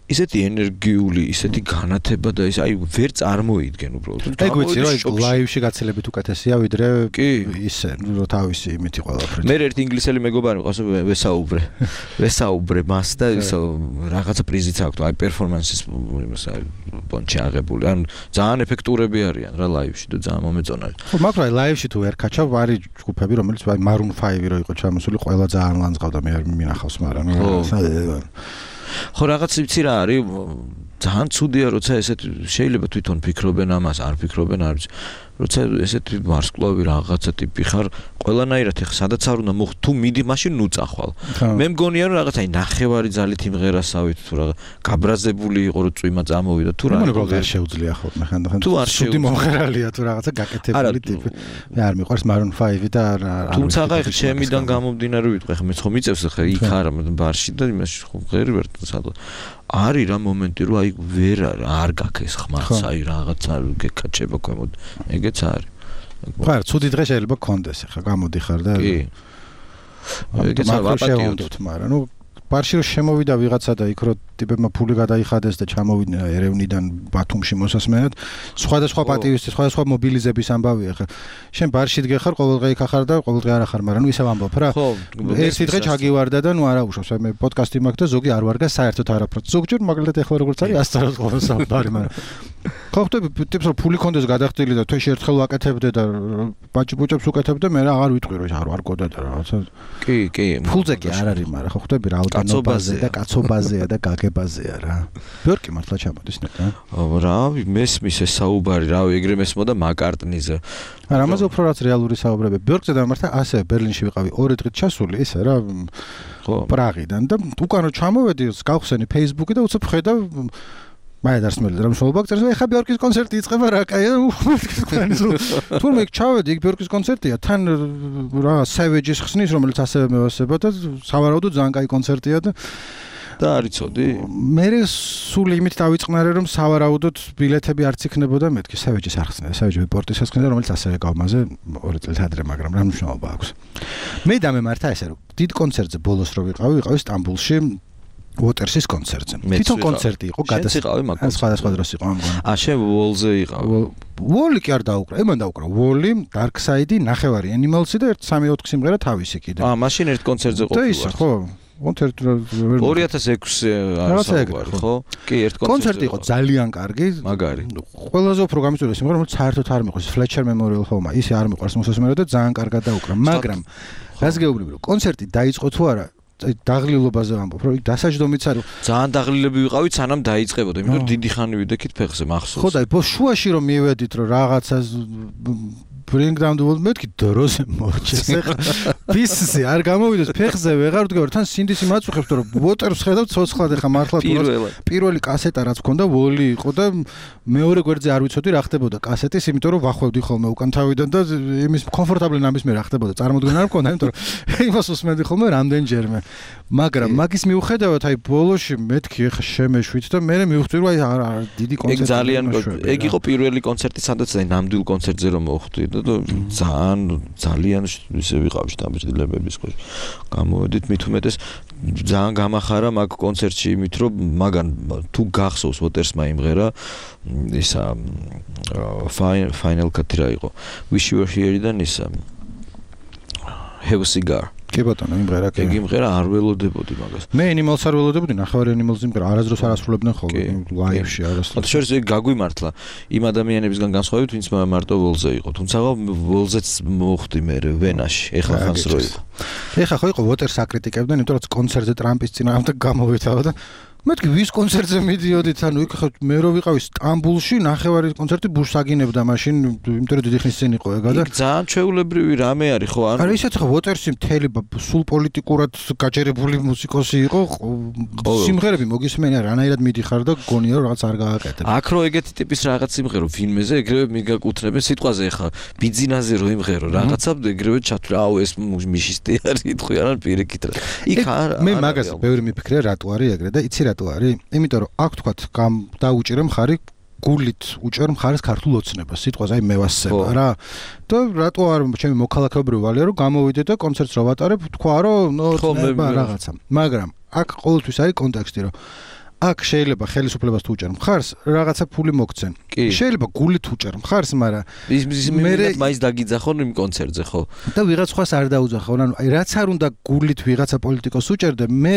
ისეთი ენერგიული ისეთი განათება და ის აი ვერ წარმოიდგენ უბრალოდ ეგ ვიცი რომ ლაივში გაცილებით უკეთესია ვიდრე ისე რომ თავისი იმითი ყველაფერი მე ერთი ინგლისელი მეგობარი მყავს ვესაუბრე მას და ისო რაღაცა პრიზიც აქვს აი პერფორმანსის იმას არის პონჩი აღებული ან ძალიან ეფექტურები არიან რა ლაივში და ძალიან მომეწონა ხო მაგრამ აი ლაივში თუ ვერ კაჩავ არის ჯგუფები რომელიც აი Maroon 5 რო იყო ჩამოსული ყველა ძალიან ლანძღავდა მე მინახავს მაგრამ ხო რაღაც იცი რა არის ძალიან ცუდია როცა ესეთ შეიძლება თვითონ ფიქრობენ ამას არ ფიქრობენ არ როცა ესეთი ვარსკვლავი რაღაცა ტიპი ხარ, ყველანაირად ეხა სადაც არ უნდა მოხ თუ მიდი მაშინ ნუ წახვალ. მე მგონია რომ რაღაცა ნახევარი ძალით იმღერასავით თუ რა გაბრაზებული იყო რომ წვიმა წამოვიდა თუ რა. არ შეუძლია ხოლმე ხანდახან. თუ არ შეუძლია მომღერალია თუ რაღაცა გაკეთებული ტიპი. მე არ მიყვარს Maroon 5 და თუმცა ხა ჩემიდან გამომდინარე ვიტყვი ხა მეც ხომ მიწევს ხა იქ არა ბარში და იმაში ხომ ღერი ვერ სადღა არის რა მომენტი რომ აი ვერ არ გაქეს ხმაც აი რაღაცა გეკაჩება ქვემოთ ეგეც არის ხარ ცუდი დღე შეიძლება გქონდეს ხა გამოდიხარ და კი ეგეც ვაპატიოთ მაგრამ ნუ ბარში რომ შემოვიდა ვიღაცა და იქ რომ ტიპებმა ფული გადაიხადეს და ჩამოვიდნენ ერევნიდან ბათუმში მოსასმენად სხვადასხვა პატივისთვის სხვადასხვა მობილიზების ამბავია ხა შენ ბარში დგეხარ ყოველდღე იქ ახარ და ყოველდღე არ ახარ მაგრამ ნუ ისევ ამბობ რა ერთი დღე ჩაგივარდა და ნუ არა უშავს მე პოდკასტი მაქვს და ზოგი არ ვარგა საერთოდ არაფრად ზოგჯერ მაგალითად ეხლა როგორც არის 100 ყოველ საუბარი მაგრამ ხო ხტები ტიპს რომ ფული კონდეს გადახდილი და თვეში ერთხელ ვაკეთებდე და ბაჭბუჭებს უკეთებდე მე რა აღარ ვიტყვი რომ არ ვარგოდა და რაღაცა კი ფულზე კი არ არის მაგრამ ხო ხტები რაოდენობაზე და კაცობაზეა და გაგებაზეა რა ბიორკი მართლა ჩამოდის ნეტა რა მესმის ეს საუბარი რავი ეგრე მესმოდა მაკარტნიზე არა ამაზე უფრო რაც რეალური საუბრები ბიორკზე დამართა ასე ბერლინში ვიყავი 2 დღით ჩასული ისე რა ხო პრაღიდან და უკან ჩამოვედი გავხსენი Facebook-ი და უცებ ხედავ მე დასმელი რა მსვლობა გწერს ეხა ბიორკის კონცერტი იწყება რა კაია თურმე ჩავედი იქ ბიორკის კონცერტია თან რა სევეჯის ხსნის რომელიც ასევე მევასება და სავარაუდოდ ძალიან კაი კონცერტია და არიცოდი მე სულ იმით დავიწყნარე რომ სავარაუდოდ ბილეთები არც იქნებოდა მეთქი სევეჯის არ ხსნიდა სევეჯი პორტის ხსნიდა რომელიც ასევე გავმაზე 2 წელი ადრე მაგრამ რა მნიშვნელობა აქვს მე დამემართა ესე რომ დიდ კონცერტზე ბოლოს რო ვიყავი სტამბულში Waters's კონცერტზე. თვითონ კონცერტი იყო გადასწყვეტი. სხვადასხვა დროს იყო ამგონა. შენ ვოლზე იყავი. ვოლი კი არ დაუკრა. ემან დაუკრა. ვოლი, Dark Side-ი, ნახევარი Animals-ი და 1-3-4 სიმღერა თავისი კიდე. მაშინ ერთ კონცერტზე ყოფილი ვარ. ხო. კონცერტი 2006-ზე არის ხო? კი, ერთ კონცერტი იყო ძალიან კარგი. მაგარი. ყველაზე უფრო გამიწვია სიმღერა, რომელიც საერთოდ არ მიყვარს. Fletcher Memorial Home-ა. ისე არ მიყვარს მოსასმენად და ძალიან კარგად დაუკრა. მაგრამ რას გეუბნები რომ კონცერტი დაიწყო თუ არა დაღლილობაზე ვამბობ, რომ დასაჯდომიც არის. ძალიან დაღლილები ვიყავით, სანამ დაიწყებოდა, იმიტომ რომ დიდი ხანი ვიდექით ფეხზე მახსოვს. ხო და შუაში რომ მივედით, რომ რაღაცა bring down the world მეთქი დროზე მორჩეს ეხა პისზე არ გამოვიდეს ფეხზე ვეღარ ვდგარ თან სინდისი მაწუხებს რომ ვოტერს ხედავ ცოცხლად ეხა მართლა პირველი კასეტა რაც მქონდა ვოლი იყო და მეორე გვერდზე არ ვიცოდი რა ხდებოდა კასეტის იმიტომ რომ ვახვევდი ხოლმე უკან თავიდან და იმის კომფორტაბლი ნამის მე რა ხდებოდა წარმოდგენა არ მქონდა იმიტომ რომ იმას უსმენდი ხოლმე რამდენჯერმე მაგრამ მაგის მიუხედავად აი ბოლოში მეთქი ეხა შემეშვით და მე მივხვდი რომ აი დიდი კონცერტი ეგ ძალიან ეგ იყო პირველი კონცერტი სადაც აი ნამდვილ კონცერტზე რომ მოხვდი და ძალიან ისე ვიყავი დამბრძნებების ხო გამოვედით მით უმეტეს ძალიან გამახარა მაგ კონცერტში იმით რომ მაგან თუ გახსოვს Watersma იმღერა ისა final cut რა იყო Wish You Were Here-დან ისა Have a Cigar კი ბატონო იმღერა კი იმღერა არ ველოდებოდი მაგას მე Animals არ ველოდებოდი ნახევარი Animals იმღერა არასდროს არ ასრულებდნენ ხოლმე ლაივში არასდროს შორის ეგ გაგვიმართლა იმ ადამიანებისგან განსხვავებით ვინც მარტო ვოლზე იყო თუმცა ვოლზეც მოხვდი მე ვენაში ეხლა ხანს რო იყო ეხლა ხო იყო Waters აკრიტიკებდნენ იმიტომ რომ კონცერტზე ტრამპის წინააღმდეგ გამოვითავა და მეთქი ვის კონცერტზე მიდიოდით ანუ იქ ხო მე რო ვიყავი სტამბულში ნახევარი კონცერტი ბუშს აგინებდა მაშინ იმიტომ რომ დიდი ხნის წინ იყო ეგა და ძალიან ჩვეულებრივი რამე არის ხო არა ისეთ ხო Watersი მთელი სულ პოლიტიკურად გაჯერებული მუსიკოსი იყო სიმღერები მოგისმენია რანაირად მიდიხარ და გონია რომ რაღაც არ გააკეთებ აქ რო ეგეთი ტიპის რაღაც სიმღერო ფილმეზე ეგრევე მიგაკუთვნებენ სიტყვაზე ხა ბიძინაზე რო იმღერო რაღაცა ეგრევე ჩათვლა აუ ეს მიშისტი არის იტყვი არა პირიქით რა იქ არა მე მაგას ბევრი მიფიქრე რატო არის ეგრე და იცი რატო არის? იმიტომ რომ აქ თქვათ დაუჭირე მხარი გულით უჭერ მხარეს ქართულ ოცნებას სიტყვაზე აი მევასება რა და რატო არ ჩემი მოქალაქეობრივი ვალია რომ გამოვიდე და კონცერტს რო ვატარებ თქვა რომ რაღაცა მაგრამ აქ ყოველთვის არის კონტექსტი რომ აქ შეიძლება ხელისუფლებას თუ უჭერ მხარს რაღაცა ფული მოგცენ შეიძლება გულით უჭერ მხარს მაგრამ მე მაინც დაგიძახონ იმ კონცერტზე ხო და ვიღაც სხვას არ დაუძახონ ანუ აი რაც არ უნდა გულით ვიღაცა პოლიტიკოს უჭერდე მე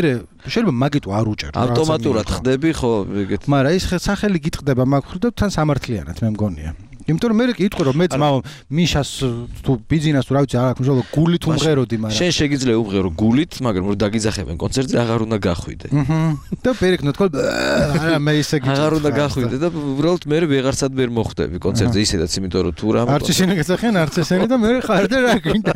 შეიძლება მაგით არ უჭერ ავტომატურად ხდები ხო ეგეთ მაგრამ ის სახელი გიტყდება მაგ ხრდა თან სამართლიანად მე მგონია იმიტომ რომ მე კითხე რომ მე ძმაო მიშას თუ ბიზნეს თუ რა ვიცი არ აქვს მშობლო გულით უმღეროდი მაგრამ შენ შეგიძლია უმღერო გულით მაგრამ რომ დაგიძახებენ კონცერტზე აღარ უნდა გახვიდე და პერიქნო თქო არა მე ისე გიჩვენე აღარ უნდა გახვიდე და უბრალოდ მე ვეღარცად ვერ მოხვდები კონცერტზე ისედაც იმიტომ რომ თუ რა არც ისინი გეცახიან არც ესენი და მე ხარ და რა გინდა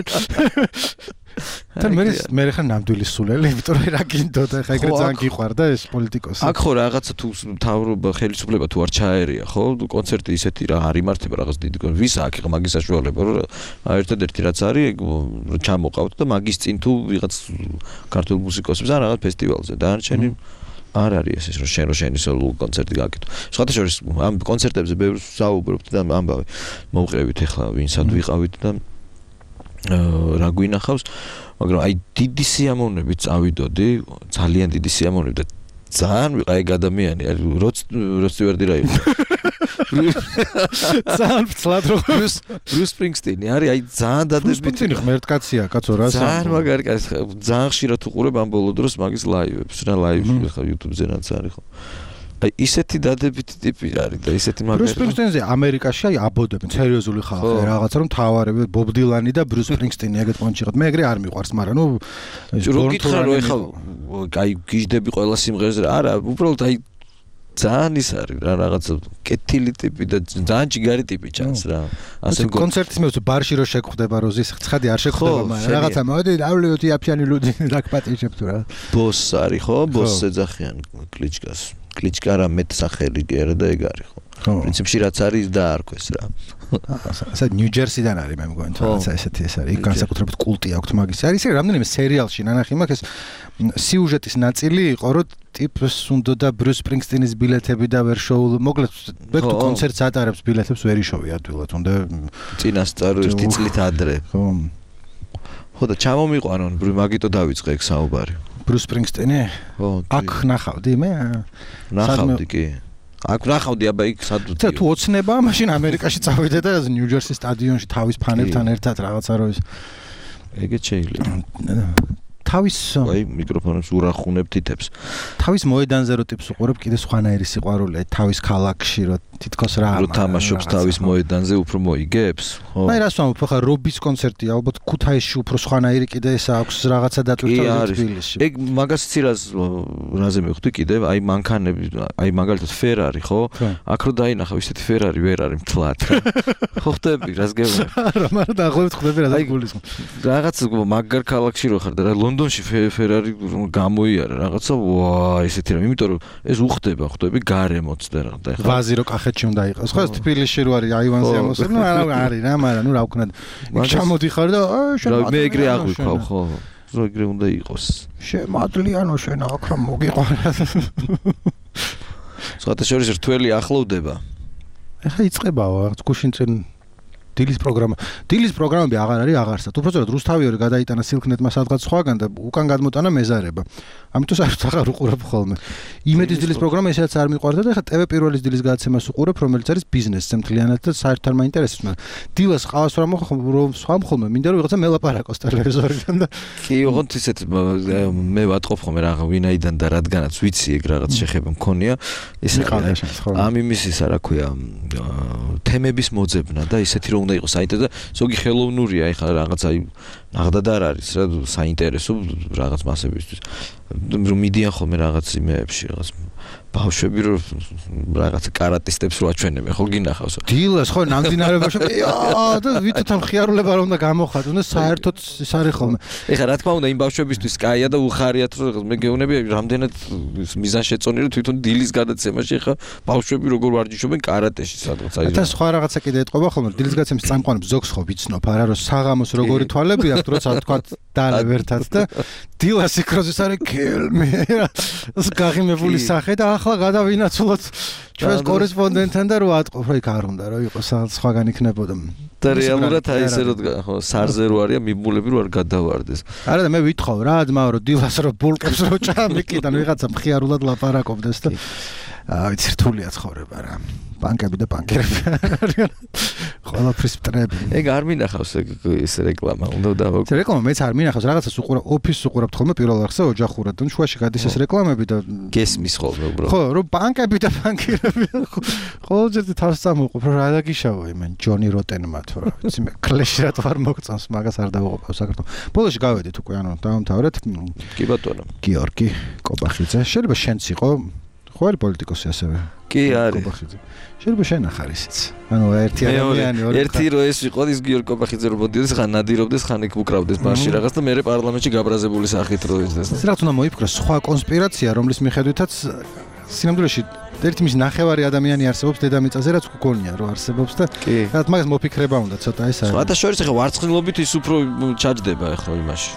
და მე ხარ ნამდვილი სულელი იმიტომ რომ რა გინდო და ხა ეგრე ძალიან გიყვარდა ეს პოლიტიკოსი აქ ხო რაღაცა თუ მთავრობა ხელისუფლება თუ არ ჩაერია ხო კონცერტი ისეთი რა არ იმართება რაღაც დიდი ვის აქ ხა მაგის საშუალება რომ ერთადერთი რაც არის ჩამოყავთ და მაგის წინ თუ ვიღაც ქართულ მუსიკოსებს ან რაღაც ფესტივალზე და არჩენი არ არის ეს რომ შენი სოლო კონცერტი გაკეთო. სხვათა შორის ამ კონცერტებზე ბევრს საუბრობთ და ამბავი მოვყრებით ახლა ვინსად ვიყავით და რა გვინახავს, მაგრამ აი დიდი სიამოვნებით წავიდოდი, ძალიან დიდი სიამოვნებით და ძალიან ვიყავი ადამიანი, როც ვერდი რა იყო. ძალიან ფცლად რო Bruce Springsteen არის აი ძალიან დადებითი ღმერთკაცია კაცო რა ძალიან მაგარი კაცი ძალიან ხშირად უყურებ ამ ბოლო დროს მაგის ლაივებს რა ლაივში ხა YouTube-ზე რაც არის ხო აი ისეთი დადებითი ტიპი არის და ისეთი მაგარი Bruce Springsteen-ზე ამერიკაში აი აბოდებენ სერიოზული ხალხი რაღაცა რომ თავარები Bob Dylan-ი და Bruce Springsteen-ი ეგეთ პონჩი ყავთ მე ეგრე არ მიყვარს მაგრამ ნუ რო გითხრა რომ ეხლა აი გიждები ყველა სიმღერაზე არა უბრალოდ აი ძალიან ის არის რა რაღაცა კეთილი ტიპი და ძალიან ჯიგარი ტიპი ჩანს რა ასე კონცერტის მე ბარში რო შეგხვდება როზის ცხადი არ შეგხვდება მაგრამ რაღაცა მოდი ავლეოთი აფიანი ლუდი დაგპატიჟებ თუ რა ბოს არის ხო ბოსს ეძახიან კლიჩკა რა მეტ სახელი გერა და ეგ არის ხო პრინციპში რაც არის დაარქვეს რა ასე ნიუ-ჯერსიდან არის მე მგონი თუ რაღაცა ესეთი ეს არის იქ განსაკუთრებით კულტი აქვს მაგის არის რამდენიმე სერიალში ნანახი მაქვს ეს სიუჟეტის ნაწილი იყო რომ ტიპს უნდა და Bruce Springsteen-ის ბილეთები და ვერ შოულ მოკლედ ბექ თუ კონცერტს ატარებს ბილეთებს ვერ იშოვი ადვილად უნდა წინასწარ ერთი წლით ადრე ხო და ჩამომიყვანონ მაგიტო დავიწყე ეგ საუბარი Bruce Springsteen-ი აქ ნახავდი მე ნახავდი კი აქ ნახავდი აბა იქ სადუდი თუ ოცნება მაშინ ამერიკაში წავიდე და ნიუ-ჯერსის სტადიონში თავის ფანებთან ერთად რაღაცა რო ის ეგეც შეიძლება თავის აი მიკროფონებს ურახუნებ თითებს თავის მოედანზე რო ტიპს უყურებ კიდე სხვანაირი სიყვარულია თავის ქალაქში რო თითქოს რა რო თამაშობს თავის მოედანზე უფრო მოიგებს ხო აი რას ვამბობ ხა რობის კონცერტი ალბათ ქუთაისში უფრო სხვანაირი კიდე ეს აქვს რაღაცა დატვირთვა თბილისში ეგ მაგას ცირას რაზე მივხვდი კიდე აი მანქანები აი მაგალითად ფერარი ხო აქ რო დაინახავ ისეთი ფერარი ვერ არის მთლად ხო ხდები რას გეუბნები არა მაგრამ დაახლოებით ხდები რა გულისხმობ რაღაც მაგარ ქალაქში რო ხარ და რა ლონდონში ფერარი გამოიარა რაღაცა ვა ესეთი რა იმიტომ რომ ეს უხდება ხდები გარემოც და რა და ვაზი რო კახეთში უნდა იყოს ხო თბილისში რო არის აივანზე ამოსულ ნუ არა არის რა მაგრამ ნუ რა ვქნა ჩამოდიხარ და შენ მე ეგრე აღვიქავ ხო რო ეგრე უნდა იყოს შემადლიანო შენ აქ რა მოგიყვარა სხვათა შორის რთველი ახლოვდება ეხა იწყებაო რაღაც გუშინ წინ დილის პროგრამები აღარ არის აღარსად. უბრალოდ რუსთავიორი გადაიტანა სილქნეტმა სადღაც სხვაგან და უკან გადმოტანა მეზარება. ამიტომ საერთოდ აღარ უყურებ ხოლმე. იმედის დილის პროგრამა ესაც არ მიყვარდა და ეხლა TV პირველის დილის გადაცემას უყურებ, რომელიც არის ბიზნესზე მთლიანად და საერთოდ არ მაინტერესებს, მაგრამ დილას ყავს რომ სხვამ ხოლმე მინდა რომ ვიღაცა მელაპარაკოს ტელევიზორიდან და კი ოღონდ ისეთ მე ვატყობ ხოლმე რაღა ვინაიდან და რადგანაც ვიცი ეგ რაღაც შეხება მქონია ეს ამ იმის ისა რა ქვია თემების მოძებნა და ისეთი რომ უნდა იყოს საინტერესო და ზოგი ხელოვნურია ეხლა რაღაც აი ნახდად არ არის რა საინტერესო რაღაც მასებისთვის რომ მიდიან ხოლმე რაღაც იმეებში რაღაც ბავშვები რომ რაღაც კარატისტებს რო აჩვენებენ ხო გინახავს დილას ხო ნამდვილებაში და ვითოთ ამ ხიარულება რომ უნდა გამოხატონ და საერთოდ ის არის ხოლმე ეხლა რა თქმა უნდა იმ ბავშვებისთვის კაია და უხარიათ რომ მე გეუბნები რამდენად მიზანშეწონილი რომ თვითონ დილის გადაცემაში ეხლა ბავშვები როგორ ვარჯიშობენ კარატეში სადღაც აი და სხვა რაღაცა კიდე ეტყობა ხოლმე დილის გადაცემის წამყვანებს ზოგს ხო ვიცნობ არა რომ საღამოს როგორი თვალები აქვს როცა თქვა დალევ ერთად და დილას იქროზის არის კელმე ეს გაღიმებული სახე და ახლა გადავინაცვლოთ ჩვენს კორესპონდენტთან და რო ატყობ რა იქ არ უნდა რომ იყოს სხვაგან იქნებოდა და რეალურად აი ესე რომ ხო სარზე რო არიან მიმულები რო არ გადავარდეს არა და მე ვითხოვ რა ძმაო რომ დილას რო ბულკებს რო ჩამიკიდან ვიღაცა მხიარულად ლაპარაკობდეს და ვიცი რთულია ცხოვრება რა ბანკები და ბანკერები ყველაფრის მტრები. ეგ არ მინახავს ეს რეკლამა, უნდა დავაკ. ეს რეკლამა მეც არ მინახავს, რაღაცას უყურებ, ოფისს უყურებთ ხოლმე პირველ რიგზე ოჯახურად, და შუაში გადის ეს რეკლამები და გესმის ხოლმე უბრალოდ. ხო, რომ ბანკები და ბანკირები ყოველჯერ თავს წამოყვებ, რომ რა დაგიშავა იმენ ჯონი როტენმა თუ რა, ვიცი მე კლეში რატო არ მოგწონს, მაგას არ დავუყობ საქართველოს. ბოლოში გავედით უკვე, ანუ დავამთავრეთ. კი ბატონო. გიორგი კობახიძე, შეიძლება შენც იყო ხო არის პოლიტიკოსი ასევე. კი არის. კობახიძე. შეიძლება შენ ახარ ისიც. ანუ ერთი ადამიანი ერთი რო ეს იყო ის გიორგი კობახიძე რო მოდიოდეს, ხან ნადირობდეს, ხან იქ უკრავდეს ბარში რაღაც და მე პარლამენტში გაბრაზებული სახით რო ის. ეს რაც უნდა მოიფიქროს სხვა კონსპირაცია, რომლის მიხედვითაც სინამდვილეში ერთი მის ნახევარი ადამიანი არსებობს დედამიწაზე, რაც გქონია რომ არსებობს და რაც მაგას მოფიქრება უნდა ცოტა ეს არის. სხვათა შორის ახლა ვარცხნილობით ის უფრო ჩაჯდება ახლა იმაში.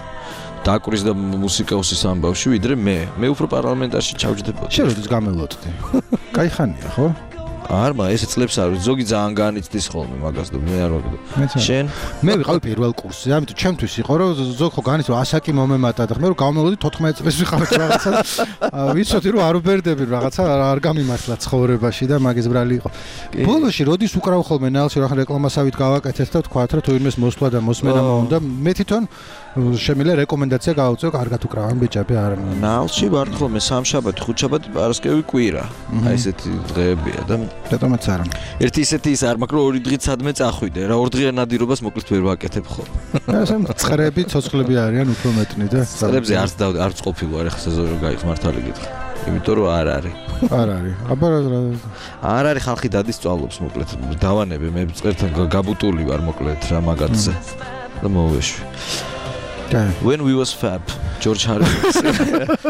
დაკვრის და მუსიკოსის ამბავში ვიდრე მე უფრო პარლამენტარში ჩავჯდებოდი. შენ როდის გამელოდდი? კაი ხანია, ხო? არმა ეს წლებს არის ზოგი ძალიან განიცდის ხოლმე მაგას და მე არ ვაგდო. შენ მე ვიყავი პირველ კურსზე, ამიტომ ჩემთვის იყო რომ ზოგი ხო განიცდის რომ ასაკი მომემატა და მე რომ გამელოდი 14 წელს ვიყავი რაღაცა. ვიცოდი რომ არ უბერდები რაღაცა არ გამიმართლა ცხოვრებაში და მაგის ბრალი იყო. ბოლოში როდის უკრავ ხოლმე ნალში რა რეკლამასავით გავაკეთეთ და თქვათ რომ თუ იმეს მოსვლა და მოსმენა მომდა, მე თვითონ შემიძლია რეკომენდაცია გავუწევ, კარგად უკრავენ ბიჭები არ. ნალში ვარ ხოლმე სამშაბათი, ხუთშაბათი, პარასკევი, კვირა. აი ესეთი დღეებია და რატომაც არა. ერთი ისეთი ის არ მაქვს რომ ორი დღით სადმე წახვიდე რა, ორ დღიან ნადირობას მოკლედ ვერ ვაკეთებ ხოლმე. ასე წხრები, ცოცხლები არიან უფრო მეტნი და წხრებზე არც ყოფილი ახლა სეზონი გაიხს მართალი გითხრა. იმიტომ რომ არ არის. არ არის. აბა არ არის ხალხი დადის სწავლობს მოკლედ. დავანებე მე წერთან გაბუტული ვარ მოკლედ რა მაგათზე. და მოვეშვი. When we was fab, George Harrison.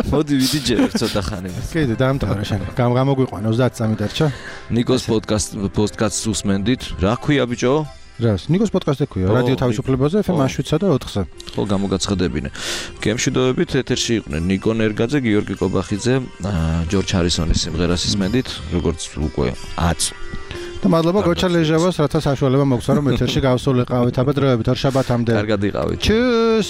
მოდი ვიდიჯერ ცოტა ხანი. კიდე დაამთავრე შენ. გამოგვიყვანა 30 წამი დარჩა. ნიკოს პოდკასტს უსმენდით. რა ქვია ბიჭო? რას? ნიკოს პოდკასტი ქვია. რადიო თავისუფლებაზე FM 7-სა და 4-ზე. ხო, გამოგაცხადებინე. გემშვიდობებით ეთერში იყვნენ ნიკო ნერგაძე, გიორგი კობახიძე, George Harrison-ის სიმღერას ისმენდით, როგორც უკვე 10. და მადლობა გოჩა ლეჟავას, რათა საშუალება მოგცა რომ ეთერში გავსულიყავით. აბა დროებით ორ შაბათამდე. კარგად იყავით. Tschüss.